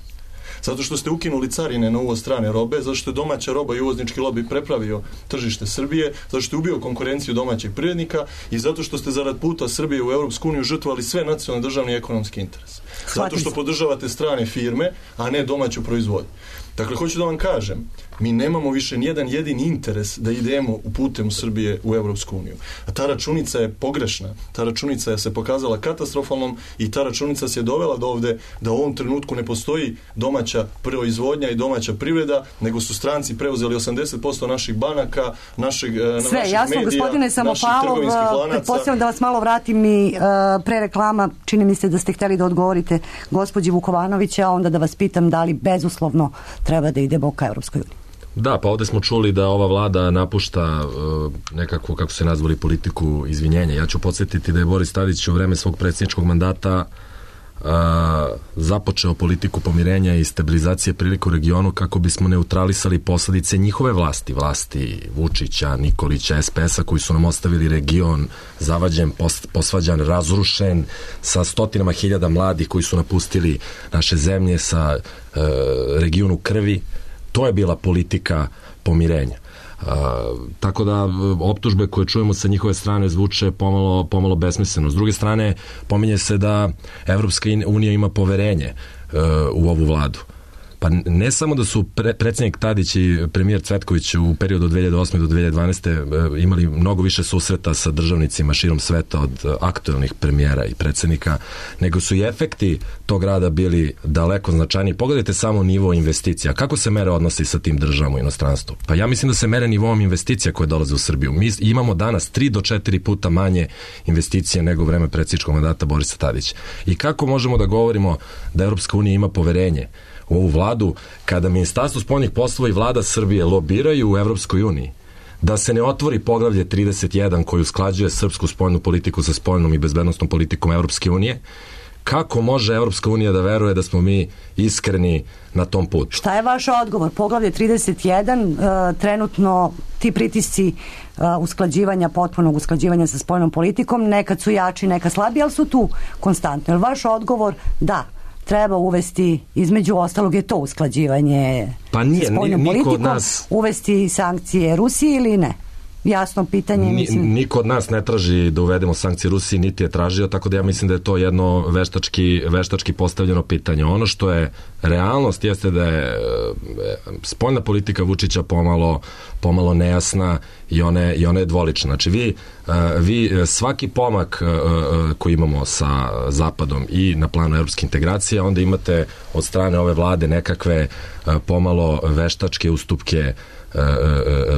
Zato što ste ukinuli carine na uvoz strane robe, zato što je domaća roba i uvoznički lobby prepravio tržište Srbije, zato što je ubio konkurenciju domaćeg privrednika i zato što ste zarad puta Srbije u Europsku uniju žrtvovali sve nacionalne, državne i ekonomske interese. Zato što podržavate strane firme, a ne domaću proizvodnju. Dakle, hoću da vam kažem, mi nemamo više nijedan jedini interes da idemo putem Srbije u Europsku uniju. A ta računica je pogrešna, ta računica je se pokazala katastrofalnom i ta računica se je dovela do ovde da u ovom trenutku ne postoji domaća proizvodnja i domaća privreda, nego su stranci preuzeli 80% naših banaka, naših jasno, medija, gospodine Samopalov, pretpostavljam da vas malo vratim i pre reklama, čini mi se da ste hteli da odgovorite gospođi Vukovanovića, a onda da vas pitam da li bezuslovno treba da idemo ka Evropskoj uniji. Da, pa ovde smo čuli da ova vlada napušta nekako, kako se nazvali, politiku izvinjenja. Ja ću podsjetiti da je Boris Tadić u vreme svog predsjedničkog mandata započeo politiku pomirenja i stabilizacije prilika u regionu kako bismo neutralisali posledice njihove vlasti Vučića, Nikolića, SPS-a koji su nam ostavili region zavađen, posvađan, razrušen sa stotinama hiljada mladih koji su napustili naše zemlje, sa regionu krvi. To je bila politika pomirenja. Tako da optužbe koje čujemo sa njihove strane zvuče pomalo besmisleno. S druge strane, pominje se da Evropska unija ima poverenje u ovu vladu. Pa ne samo da su predsjednik Tadić i premijer Cvetković u periodu od 2008. do 2012. imali mnogo više susreta sa državnicima širom sveta od aktualnih premijera i predsjednika, nego su i efekti tog rada bili daleko značajniji. Pogledajte samo nivo investicija. Kako se mere odnosi sa tim državom u inostranstvu? Pa ja mislim da se mere nivom investicija koje dolaze u Srbiju. Mi imamo danas 3 do 4 puta manje investicije nego u vreme predsjedničkog mandata Borisa Tadića. I kako možemo da govorimo da Europska unija ima poverenje u ovu vladu, kada Ministarstvo spoljnih poslova i vlada Srbije lobiraju u Evropskoj uniji da se ne otvori poglavlje 31 koji usklađuje srpsku spoljnu politiku sa spoljnom i bezbednostnom politikom Evropske unije, kako može Evropska unija da veruje da smo mi iskreni na tom putu? Šta je vaš odgovor? Poglavlje 31, trenutno ti pritisci usklađivanja, potpunog usklađivanja sa spoljnom politikom, nekad su jači, nekad slabiji, ali su tu konstantno. Je vaš odgovor da treba uvesti, između ostalog je to usklađivanje sa spoljnom politikom, uvesti sankcije Rusiji ili ne? Jasno pitanje. Niko od nas ne traži da uvedemo sankcije Rusiji, niti je tražio, tako da ja mislim da je to jedno veštački postavljeno pitanje. Ono što je realnost jeste da je spoljna politika Vučića pomalo nejasna i ona je dvolična. Znači vi svaki pomak koji imamo sa Zapadom i na planu evropske integracije, onda imate od strane ove vlade nekakve pomalo veštačke ustupke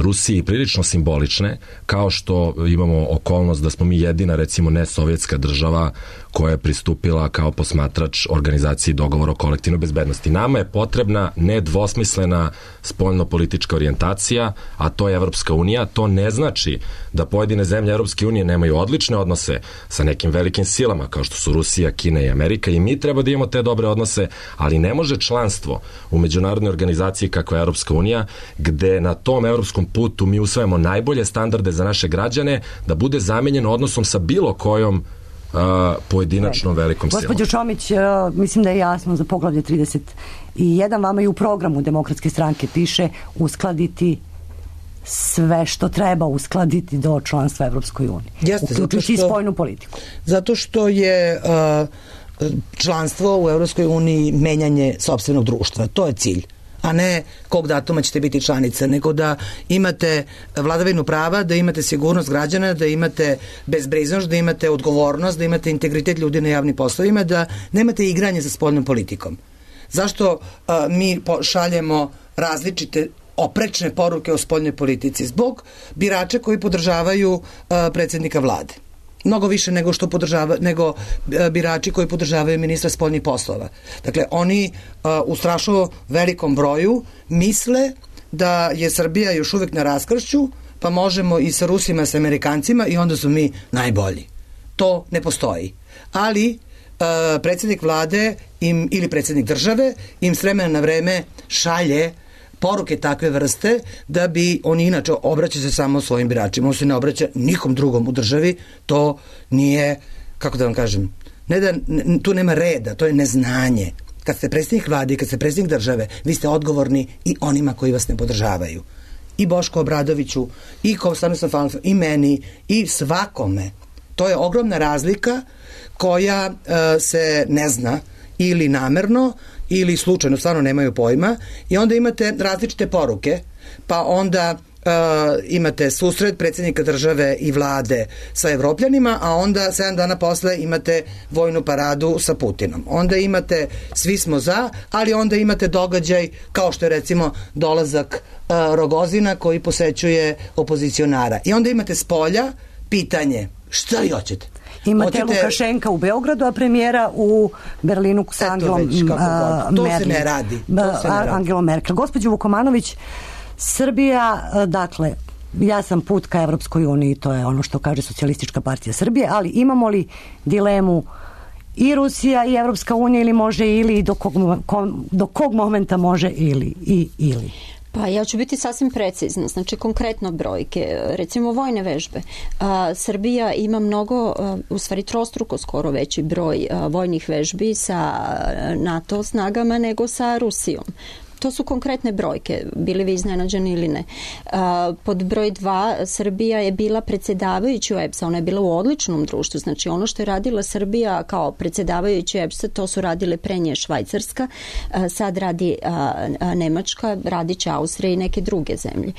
Rusiji, prilično simbolične, kao što imamo okolnost da smo mi jedina, recimo, nesovjetska država koja je pristupila kao posmatrač organizaciji dogovora o kolektivnoj bezbednosti. Nama je potrebna nedvosmislena spoljno-politička orijentacija, a to je Evropska unija. To ne znači da pojedine zemlje Evropske unije nemaju odlične odnose sa nekim velikim silama, kao što su Rusija, Kina i Amerika, i mi treba da imamo te dobre odnose, ali ne može članstvo u međunarodnoj organizaciji kakva je Evropska unija, gde na tom evropskom putu mi usvajamo najbolje standarde za naše građane, da bude zamenjeno odnosom sa bilo kojom pojedinačnom velikom silom. Gospođo Čomić, mislim da je jasno za poglavlje 31, vama i u programu Demokratske stranke piše uskladiti sve što treba uskladiti do članstva Evropskoj uniji. Uključujući i spoljnu politiku. Zato što je članstvo u Evropskoj uniji menjanje sopstvenog društva. To je cilj, a ne kog datuma ćete biti članica, nego da imate vladavinu prava, da imate sigurnost građana, da imate bezbriznost, da imate odgovornost, da imate integritet ljudi na javnim poslovima, da nemate igranje sa spoljnom politikom. Zašto mi šaljemo različite oprečne poruke o spoljnoj politici, zbog birača koji podržavaju predsjednika vlade. Mnogo više nego birači koji podržavaju ministra spoljnih poslova. Dakle, oni u strašno velikom broju misle da je Srbija još uvek na raskršću, pa možemo i sa Rusima, sa Amerikancima i onda su mi najbolji. To ne postoji. Ali predsjednik vlade ili predsjednik države im s vremena na vreme šalje poruke takve vrste da bi oni inače obraća se samo svojim biračima. On se ne obraća nikom drugom u državi. To nije, kako da vam kažem, tu nema reda, to je neznanje. Kad ste predsjednik vlade i kad ste predsjednik države, vi ste odgovorni i onima koji vas ne podržavaju. I Bošku Obradoviću, i Konstantinom Falcu, i meni, i svakome. To je ogromna razlika koja se ne zna ili namerno ili slučajno, stvarno nemaju pojma, i onda imate različite poruke, pa onda imate susret predsjednika države i vlade sa Evropljanima, a onda 7 dana posle imate vojnu paradu sa Putinom. Onda imate svi smo za, ali onda imate događaj kao što je recimo dolazak Rogozina koji posećuje opozicionara. I onda imate s polja pitanje šta vi hoćete? Imate Lukašenka u Beogradu, a premijera u Berlinu sa Angelom Merkel. To se ne radi. Angelom Merkel. Gospođo Vukomanović, Srbija, dakle, ja sam put ka Evropskoj uniji, to je ono što kaže Socijalistička partija Srbije, ali imamo li dilemu i Rusija i Evropska unija ili može ili do kog momenta može ili? Pa ja ću biti sasvim precizna, znači konkretno brojke, recimo vojne vežbe. Srbija ima mnogo, u stvari trostruko skoro veći broj vojnih vežbi sa NATO snagama nego sa Rusijom. To su konkretne brojke, bili vi iznenađeni ili ne. Pod broj 2, Srbija je bila predsjedavajući u EPS-a, ona je bila u odličnom društvu, znači ono što je radila Srbija kao predsjedavajući EPS-a, to su radile pre nje Švajcarska, sad radi Nemačka, radit će Austrija i neke druge zemlje.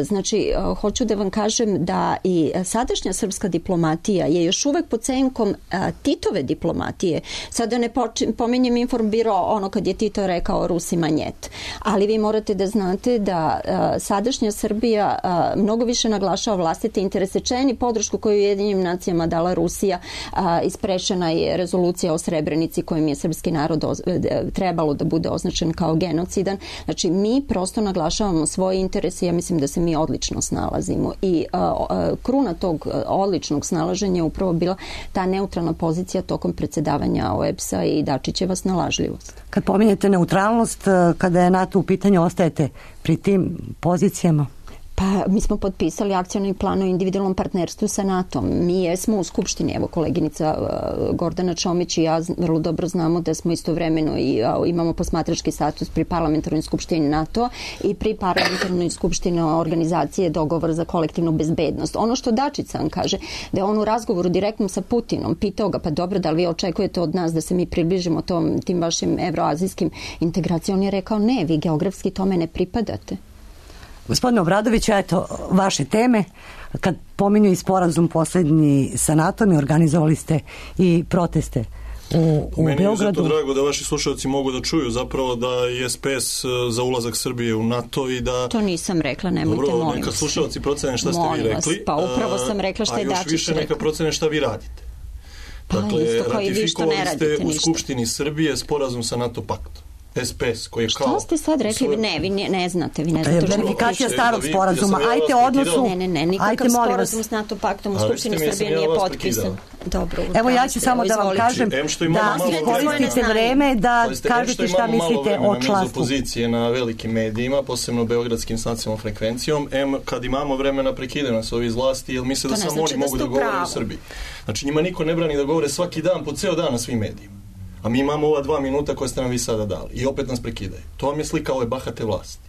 Znači, hoću da vam kažem da i sadašnja srpska diplomatija je još uvek pod senkom Titove diplomatije. Sada ne pominjem Informbiro ono kad je Tito rekao Rusima njet. Ali vi morate da znate da sadašnja Srbija mnogo više naglašava vlastite interese, čeni podršku koju je Ujedinjenim nacijama dala Rusija, isprešena je rezolucija o Srebrenici kojim je srpski narod trebalo da bude označen kao genocidan. Znači, mi prosto naglašavamo svoje interese, ja mislim da se mi odlično snalazimo i kruna tog odličnog snalaženja je upravo bila ta neutralna pozicija tokom predsjedavanja OEBS-a i Dačićeva snalažljivost. Kad pominjete neutralnost, kada je NATO u pitanju, ostajete pri tim pozicijama? Pa mi smo potpisali akcioni plan o individualnom partnerstvu sa NATO-om. Mi jesmo u Skupštini, evo koleginica Gordana Čomić i ja vrlo dobro znamo da smo istovremeno i imamo posmatrački status pri parlamentarnoj skupštini NATO i pri parlamentarnoj skupštini organizacije dogovor za kolektivnu bezbednost. Ono što Dačić sam kaže, da je on u razgovoru direktnom sa Putinom pitao ga, pa dobro, da li vi očekujete od nas da se mi približimo tim vašim evroazijskim integracijama? On je rekao, ne, vi geografski tome ne pripadate. Gospodine Obradoviću, eto vaše teme. Kad pominju i sporazum poslednji sa NATO-om, organizovali ste i proteste u Meni Beogradu. Meni je zato drago da vaši slušalci mogu da čuju zapravo da je SPS za ulazak Srbije u NATO i da... To nisam rekla, nemojte, dobro, molim neka vas. slušalci procene šta ste vi rekli. Pa upravo sam rekla šta je Dačić rekla. A još više neka procene šta vi radite. Pa dakle, isto kao i vi što ne radite ratifikovali ste u ništa. Skupštini Srbije sporazum sa NATO paktom. SPS koji je kao... Šta ste sad rekli? Ne, vi ne znate. Vi ne To je znate. verifikacija starog sporazuma. Ajte odnosu... Ne, nikakav sporazum s NATO paktom u Skupštini Srbije nije potpisan. Dobro, evo ja ću samo da vam kažem da koristite vreme da kažete šta mislite o članstvu. Opozicije na velikim medijima, posebno beogradskim s nacionalnom frekvencijom, kad imamo vremena prekide nas ovi iz vlasti, jer misle da samo oni mogu da govore u Srbiji. Znači njima niko ne brani da govore svaki dan, po ceo dan na svim medijima. A mi imamo ova 2 minuta koje ste nam vi sada dali i opet nas prekidaju. To vam je slika ove bahate vlasti.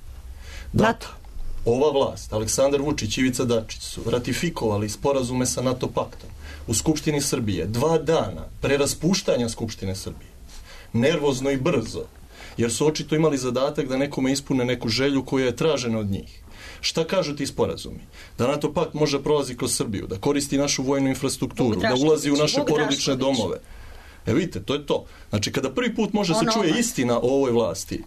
NATO. Ova vlast, Aleksandar Vučić i Ivica Dačić su ratifikovali sporazume sa NATO paktom u Skupštini Srbije 2 dana pre raspuštanja Skupštine Srbije. Nervozno i brzo, jer su očito imali zadatak da nekome ispune neku želju koja je tražena od njih. Šta kažu ti sporazumi? Da NATO pakt može prolazi kroz Srbiju, da koristi našu vojnu infrastrukturu, da ulazi u naše porodične domove. Vidite, to je to. Znači, kada prvi put može se čuje istina o ovoj vlasti,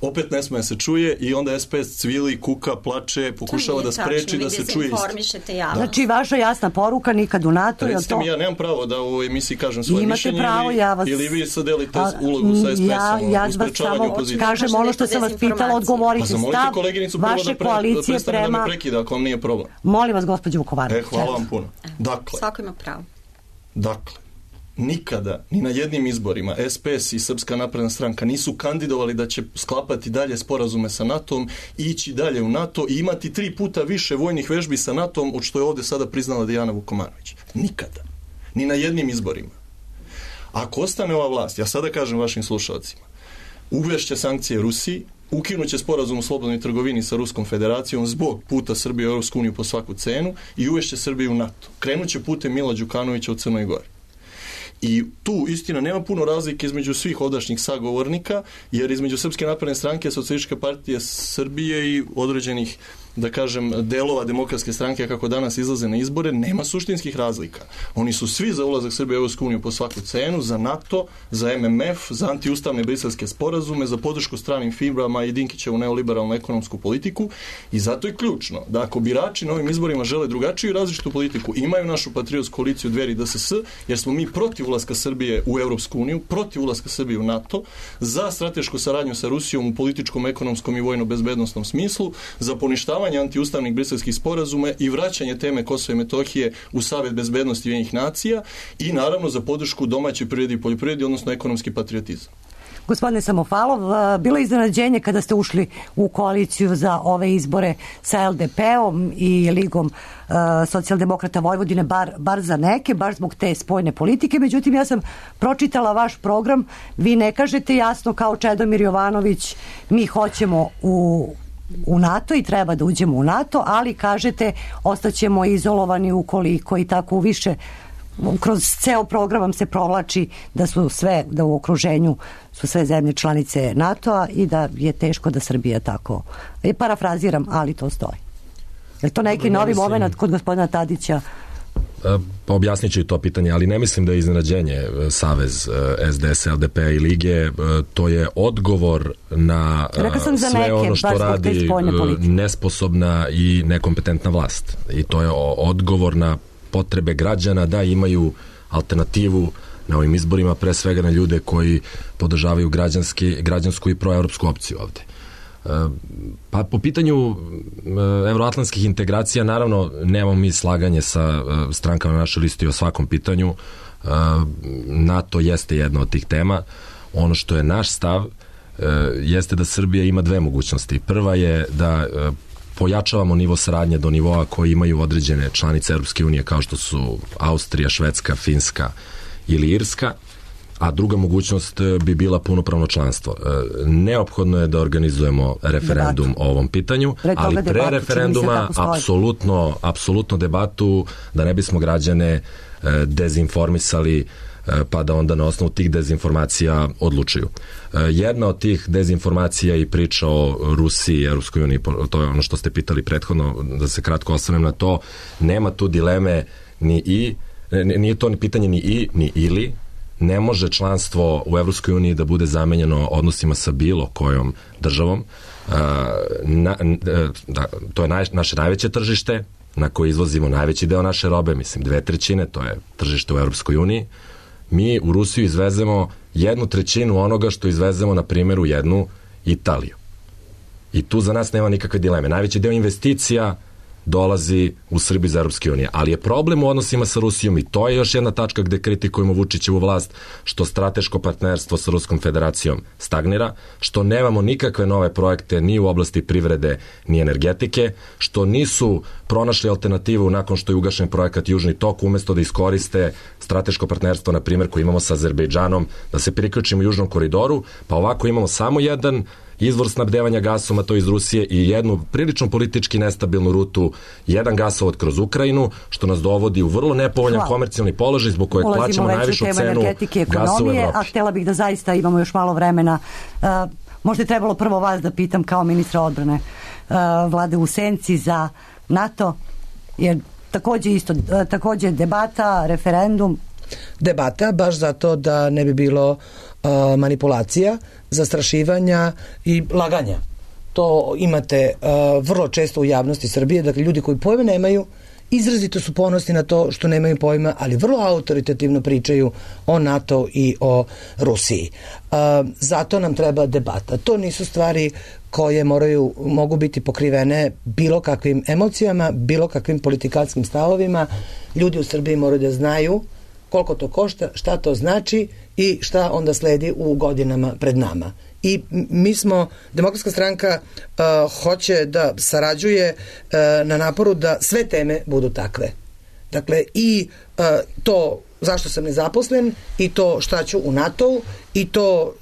opet ne sme se čuje i onda SPS cvili, kuka, plače, pokušava da spreči da se čuje istina. Znači, vaša jasna poruka, nikad u NATO. Recite mi, ja nemam pravo da u emisiji kažem svoje mišljenje ili vi sad delite ulogu sa SPS-om u sprečavanju opozicije. Kažem ono što sam vas pitala, odgovorite stav vaše koalicije prema... Da me prekida ako vam nije problem. Molim vas, gospođo Vukovanović. Hvala vam puno. Dakle, svako ima pravo. Dakle, nikada, ni na jednim izborima, SPS i Srpska napredna stranka nisu kandidovali da će sklapati dalje sporazume sa NATO-om, ići dalje u NATO i imati 3 puta više vojnih vežbi sa NATO-om od što je ovde sada priznala Dijana Vukomanović. Nikada. Ni na jednim izborima. Ako ostane ova vlast, ja sada kažem vašim slušalcima, uvešće sankcije Rusiji, ukinuće sporazum o slobodnoj trgovini sa Ruskom federacijom zbog puta Srbije u Europsku uniju po svaku cenu i uvešće Srbiju u NATO. Krenuće putem Mila Đukanovića u Crnoj Gori. I tu, istina, nema puno razlike između svih ovdašnjih sagovornika, jer između Srpske napredne stranke, Socijalističke partije Srbije i određenih, da kažem, delova Demokratske stranke kako danas izlaze na izbore, nema suštinskih razlika. Oni su svi za ulazak Srbije u Europsku uniju po svaku cenu, za NATO, za MMF, za antiustavne briselske sporazume, za podršku stranim firmama i Dinkićevu neoliberalnu ekonomsku politiku i zato je ključno da ako birači na ovim izborima žele drugačiju i različitu politiku, imaju našu patriotsku koaliciju Dveri DSS, jer smo mi protiv ulaska Srbije u Europsku uniju, protiv ulaska Srbije u NATO, za stratešku saradnju sa Rusijom u političkom, ekonomskom i vojno-bezbednostnom smislu, za poništavanje antiustavnih briselskih sporazuma i vraćanje teme Kosova i Metohije u Savet bezbednosti Ujedinjenih nacija i naravno za podršku domaćoj privredi i poljoprivredi, odnosno ekonomski patriotizam. Gospodine Samofalov, bilo je iznenađenje kada ste ušli u koaliciju za ove izbore sa LDP-om i Ligom socijaldemokrata Vojvodine, bar za neke, baš zbog te spojne politike. Međutim, ja sam pročitala vaš program. Vi ne kažete jasno kao Čedomir Jovanović, mi hoćemo u NATO i treba da uđemo u NATO, ali kažete ostaćemo izolovani ukoliko i tako više. Kroz ceo program vam se provlači da u okruženju su sve zemlje članice NATO-a i da je teško da Srbija tako. Parafraziram, ali to stoji. Je to neki novi moment kod gospodina Tadića? Pa objasnit ću i to pitanje, ali ne mislim da je iznenađenje savez SDS, LDP i Lige, to je odgovor na sve ono što radi nesposobna i nekompetentna vlast. I to je odgovor na potrebe građana da imaju alternativu na ovim izborima, pre svega na ljude koji podržavaju građansku i proevropsku opciju ovde. Pa po pitanju evroatlantskih integracija, naravno nemamo mi slaganje sa strankama na našoj listi o svakom pitanju. NATO jeste jedna od tih tema. Ono što je naš stav jeste da Srbija ima 2 mogućnosti. Prva je da pojačavamo nivo saradnje do nivoa koji imaju određene članice Europske unije kao što su Austrija, Švedska, Finska ili Irska, a druga mogućnost bi bila punopravno članstvo. Neophodno je da organizujemo referendum o ovom pitanju, ali pre referenduma apsolutno debatu da ne bismo građane dezinformisali pa da onda na osnovu tih dezinformacija odlučuju. Jedna od tih dezinformacija i priča o Rusiji i Europskoj uniji, to je ono što ste pitali prethodno, da se kratko osvrnem na to, nema tu dileme nije to ni pitanje ni i, ni ili. Ne može članstvo u Evropskoj uniji da bude zamenjeno odnosima sa bilo kojom državom. To je naše najveće tržište na koje izvozimo najveći deo naše robe, mislim 2/3, to je tržište u Evropskoj uniji. Mi u Rusiju izvezemo 1/3 onoga što izvezemo, na primjer, u jednu Italiju. I tu za nas nema nikakve dileme. Najveći deo investicija dolazi u Srbiju iz Europske unije. Ali je problem u odnosima sa Rusijom i to je još jedna tačka gde kritikujemo Vučićevu vlast, što strateško partnerstvo sa Ruskom federacijom stagnira, što nemamo nikakve nove projekte ni u oblasti privrede ni energetike, što nisu pronašli alternativu nakon što je ugašen projekat Južni tok, umesto da iskoriste strateško partnerstvo, na primjer, koje imamo sa Azerbejdžanom, da se priključimo Južnom koridoru, pa ovako imamo samo jedan izvor snabdevanja gasom, a to iz Rusije, i jednu prilično politički nestabilnu rutu, jedan gasovod kroz Ukrajinu, što nas dovodi u vrlo nepovoljan komercijalni položaj zbog kojeg plaćamo najvišu cenu gasa u Evropi. A htjela bih da zaista imamo još malo vremena. Možda je trebalo prvo vas da pitam kao ministra odbrane vlade u senci za NATO, jer takođe debata, referendum. Debata, baš zato da ne bi bilo manipulacija, zastrašivanja i laganja. To imate vrlo često u javnosti Srbije, dakle ljudi koji pojma nemaju, izrazito su ponosni na to što nemaju pojma, ali vrlo autoritativno pričaju o NATO i o Rusiji. Zato nam treba debata. To nisu stvari koje mogu biti pokrivene bilo kakvim emocijama, bilo kakvim politikanskim stavovima. Ljudi u Srbiji moraju da znaju koliko to košta, šta to znači i šta onda sledi u godinama pred nama. I mi smo, Demokratska stranka hoće da sarađuje na naporu da sve teme budu takve. Dakle, i to zašto sam nezaposlen, i to šta ću u NATO-u, i to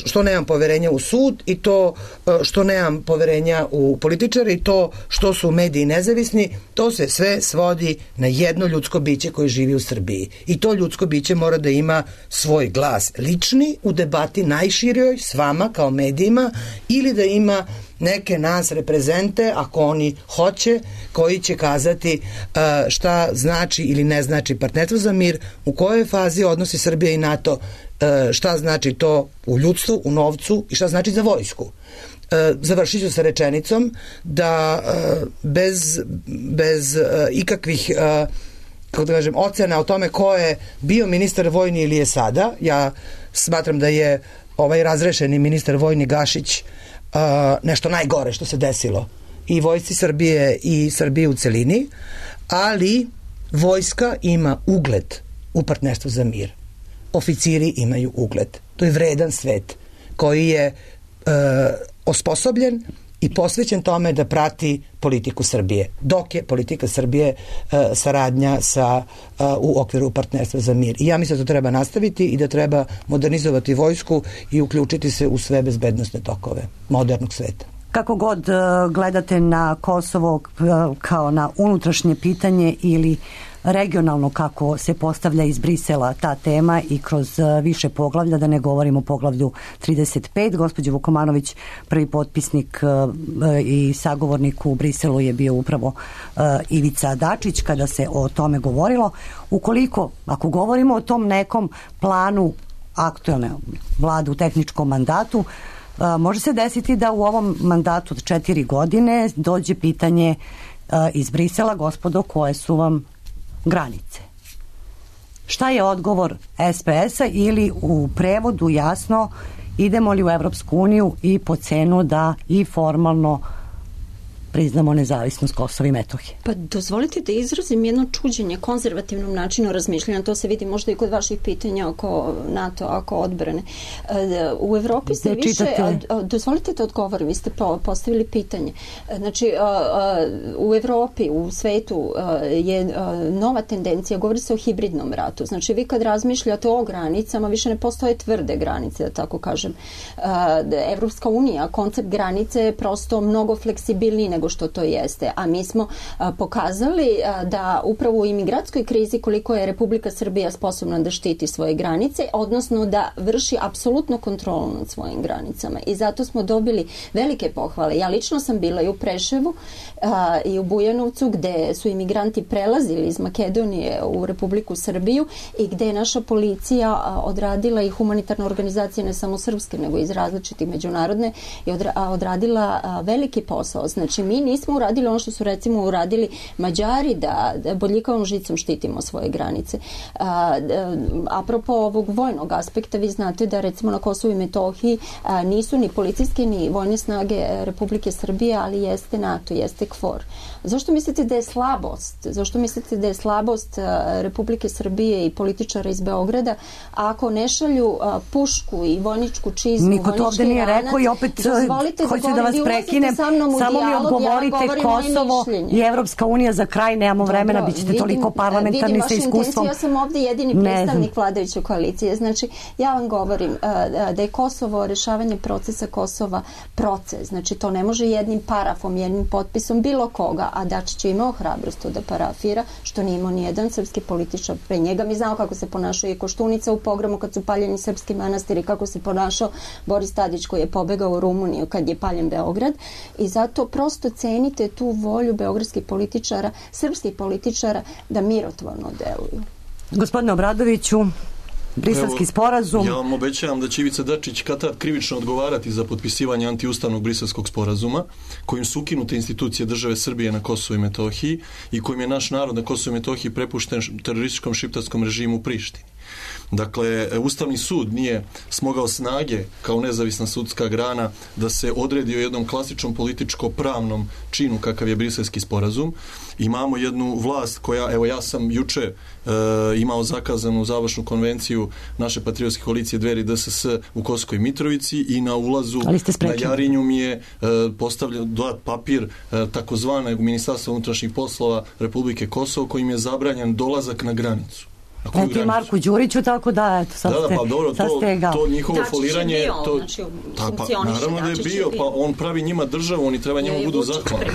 što nemam poverenja u sud, i to što nemam poverenja u političare, i to što su mediji nezavisni. To se sve svodi na jedno ljudsko biće koje živi u Srbiji. I to ljudsko biće mora da ima svoj glas lični u debati najširijoj s vama kao medijima, ili da ima neke nas reprezente, ako oni hoće, koji će kazati šta znači ili ne znači partnerstvo za mir, u kojoj fazi odnosi Srbija i NATO, šta znači to u ljudstvu, u novcu i šta znači za vojsku. Završit ću sa rečenicom da bez ikakvih kako da kažem, ocena o tome ko je bio ministar vojni ili je sada, ja smatram da je ovaj razrešeni ministar vojni Gašić nešto najgore što se desilo i vojsci Srbije i Srbije u celini, ali vojska ima ugled u partnerstvu za mir. Oficiri imaju ugled. To je vredan svet koji je osposobljen i posvećen tome da prati politiku Srbije. Dok je politika Srbije saradnja u okviru partnerstva za mir. I ja mislim da to treba nastaviti i da treba modernizovati vojsku i uključiti se u sve bezbednosne tokove modernog sveta. Kako god gledate na Kosovo kao na unutrašnje pitanje ili regionalno kako se postavlja iz Brisela ta tema i kroz više poglavlja, da ne govorimo o poglavlju 35. Gospođo Vukomanović, prvi potpisnik i sagovornik u Briselu je bio upravo Ivica Dačić kada se o tome govorilo. Ako govorimo o tom nekom planu aktuelne vlade u tehničkom mandatu, može se desiti da u ovom mandatu od 4 godine dođe pitanje iz Brisela, gospodo, koje su vam granice. Šta je odgovor SPS-a ili u prevodu jasno, idemo li u Evropsku uniju i po cenu da i formalno priznamo nezavisnost Kosova i Metohije? Pa dozvolite da izrazim jedno čuđenje konzervativnom načinu razmišljanja. To se vidi možda i kod vaših pitanja oko NATO, oko odbrane. U Evropi se više... Dozvolite da odgovorim, vi ste postavili pitanje. Znači, u Evropi, u svetu je nova tendencija, govori se o hibridnom ratu. Znači, vi kad razmišljate o granicama, više ne postoje tvrde granice, da tako kažem. Evropska unija, koncept granice je prosto mnogo fleksibilniji nego što to jeste. A mi smo pokazali da upravo u imigrantskoj krizi koliko je Republika Srbija sposobna da štiti svoje granice, odnosno da vrši apsolutnu kontrolu nad svojim granicama. I zato smo dobili velike pohvale. Ja lično sam bila i u Preševu i u Bujanovcu gde su imigranti prelazili iz Makedonije u Republiku Srbiju i gde je naša policija odradila i humanitarna organizacija, ne samo srpske, nego iz različitih međunarodne, i odradila veliki posao. Znači, mi nismo uradili ono što su recimo uradili Mađari, da bodljikavom žicom štitimo svoje granice. Apropo ovog vojnog aspekta, vi znate da recimo na Kosovu i Metohiji nisu ni policijske ni vojne snage Republike Srbije, ali jeste NATO, jeste KFOR. Zašto mislite da je slabost? Zašto mislite da je slabost Republike Srbije i političara iz Beograda ako ne šalju pušku i vojničku čizmu, niko to ovde nije rekao i opet hoću da vas prekinem. Samo mi odgovorite, Kosovo i Evropska unija, za kraj nemamo vremena, bit ćete toliko parlamentarni sa iskustvom. Ja sam ovde jedini predstavnik vladajuće koalicije. Znači, ja vam govorim da je Kosovo, rešavanje procesa Kosova proces. Znači, to ne može jednim parafom, jednim potpisom bilo koga, a Dačić je imao hrabrost to da parafira, što nije imao nijedan srpski političar pre njega. Mi znamo kako se ponašao i Koštunica u pogromu kad su paljeni srpski manastiri, kako se ponašao Boris Tadić koji je pobegao u Rumuniju kad je paljen Beograd. I zato prosto cenite tu volju beogradskih političara, srpskih političara da mirotvorno deluju. Gospodine Obradoviću, Briselski sporazum. Ja vam obećavam da će Ivica Dačić kad krivično odgovarati za potpisivanje antiustavnog Briselskog sporazuma, kojim su ukinute institucije države Srbije na Kosovu i Metohiji i kojim je naš narod na Kosovu i Metohiji prepušten terorističkom šiptarskom režimu u Prištini. Dakle, Ustavni sud nije smogao snage kao nezavisna sudska grana da se odredi o jednom klasičnom političko-pravnom činu kakav je Briselski sporazum. Imamo jednu vlast koja, evo ja sam juče imao zakazanu završnu konvenciju naše patriotske koalicije Dveri DSS u Kosovskoj Mitrovici i na ulazu na Jarinju mi je postavljen dodat papir takozvanog Ministarstva unutrašnjih poslova Republike Kosovo kojim je zabranjen dolazak na granicu. Ti Marku Đuriću, tako da, eto, sad ste ga. To njihovo foliranje... Naravno da je bio, pa on pravi njima državu, oni treba njemu budu zahvalni.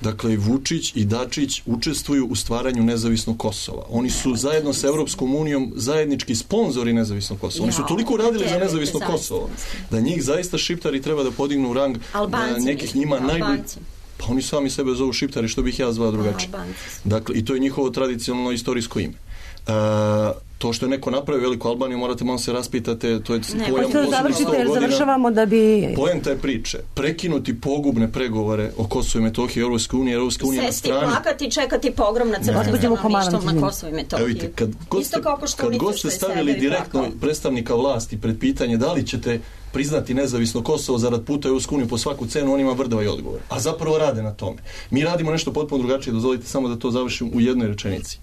Dakle, Vučić i Dačić učestvuju u stvaranju nezavisnog Kosova. Oni su zajedno sa Evropskom unijom zajednički sponzori nezavisnog Kosova. Oni su toliko radili za nezavisno Kosovo da njih zaista šiptari treba da podignu u rang nekih njima najbolji... Pa oni sami sebe zovu šiptari, što bih ja zvao drugačije. Dakle, i to je njihovo tradicionalno istorijsko ime. To što je neko napravio Veliku Albaniju, morate malo se raspitate, to je pojam završavamo da bi... Poenta je priče, prekinuti pogubne pregovore o Kosovu i Metohiji i Europskoj uniji, Europska unija na strani... Sesti, plakati, čekati pogrom na crkvenom stanovništvom na Kosovu i Metohiji. Vidite, kad god ste stavili direktno predstavnika vlasti pred pitanje da li ćete priznati nezavisno Kosovo zarad puta u Europsku uniju po svaku cenu, on ima vrdava i odgovor. A zapravo rade na tome. Mi radimo nešto potpuno drugačije, dozvolite samo da to završim u jednoj rečenici.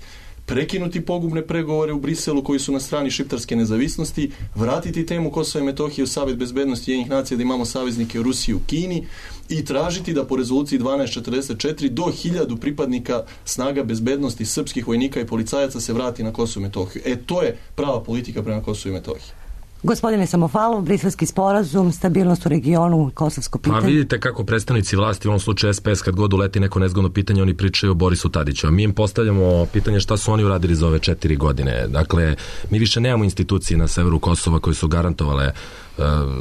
Prekinuti pogubne pregovore u Briselu koji su na strani šiptarske nezavisnosti, vratiti temu Kosova i Metohije u Savet bezbednosti Ujedinjenih nacija da imamo saveznike u Rusiji i u Kini i tražiti da po rezoluciji 1244 do 1000 pripadnika snaga bezbednosti srpskih vojnika i policajaca se vrati na Kosovo i Metohiju. To je prava politika prema Kosovu i Metohiji. Gospodine Samofalov, Briselski sporazum, stabilnost u regionu, kosovsko pitanje. Pa vidite kako predstavnici vlasti, u ovom slučaju SPS, kad god uleti neko nezgodno pitanje, oni pričaju o Borisu Tadiću, a mi im postavljamo pitanje šta su oni uradili za ove 4 godine. Dakle, mi više nemamo institucije na severu Kosova koje su garantovale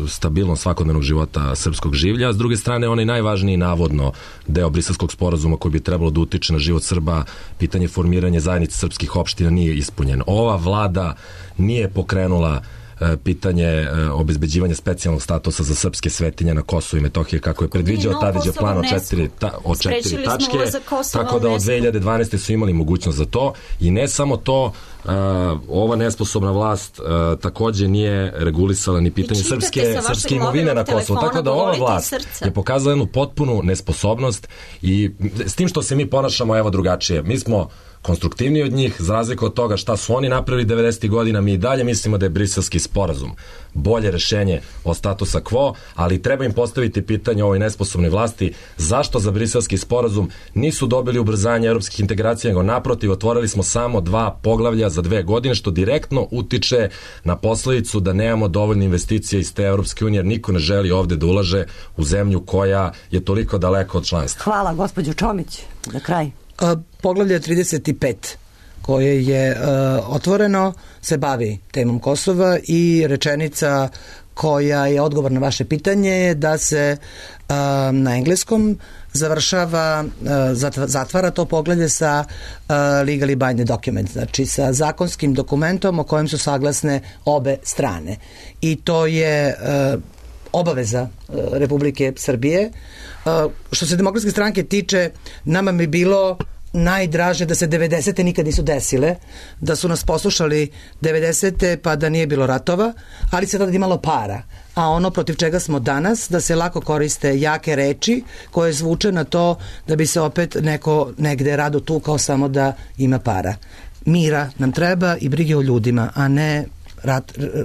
stabilnost svakodnevnog života srpskog življa, a s druge strane onaj najvažniji navodno deo Briselskog sporazuma koji bi trebalo da utiče na život Srba, pitanje formiranja zajednice srpskih opština nije ispunjeno. Ova vlada nije pokrenula pitanje obezbeđivanja specijalnog statusa za srpske svetinje na Kosovu i Metohiji kako je predviđao Tadićev plan od 4 tačke, tako da od 2012. su imali mogućnost za to i ne samo to, ova nesposobna vlast takođe nije regulisala ni pitanje srpske imovine na Kosovu, tako da ova vlast je pokazala jednu potpunu nesposobnost i s tim što se mi ponašamo evo drugačije, mi smo konstruktivniji od njih, za razliku od toga šta su oni napravili 90. godina, mi i dalje mislimo da je Briselski sporazum bolje rešenje od statusa quo, ali treba im postaviti pitanje ovoj nesposobnoj vlasti zašto za Briselski sporazum nisu dobili ubrzanje evropskih integracija, nego naprotiv otvorili smo samo 2 poglavlja za 2 godine, što direktno utiče na posledicu da nemamo dovoljne investicije iz te Evropske unije, jer niko ne želi ovde da ulaže u zemlju koja je toliko daleko od članstva. Hvala, gospođo Čomić, za kraj. Poglavlje 35 koje je otvoreno se bavi temom Kosova i rečenica koja je odgovor na vaše pitanje je da se na engleskom zatvara to poglavlje sa legally binding document, znači sa zakonskim dokumentom o kojem su saglasne obe strane. I to je obaveza Republike Srbije. Što se Demokratske stranke tiče, nama bi bilo najdraže da se 90. nikad nisu desile, da su nas poslušali 90. pa da nije bilo ratova, ali se tada imalo para. A ono protiv čega smo danas, da se lako koriste jake reči koje zvuče na to da bi se opet neko negde rado tukao samo da ima para. Mira nam treba i brige o ljudima, a ne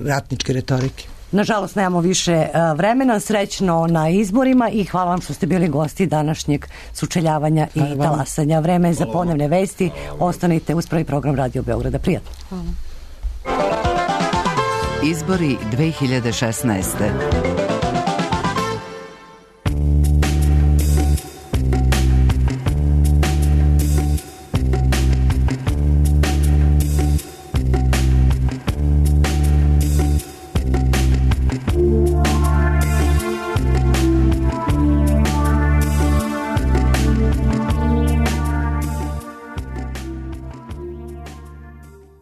ratničke retorike. Nažalost, nemamo više vremena, srećno na izborima i hvala vam što ste bili gosti današnjeg sučeljavanja i talasanja. Vreme je za ponovne vesti. Ostanite uz prvi program Radio Beograda. Prijatno. Izbori 2016.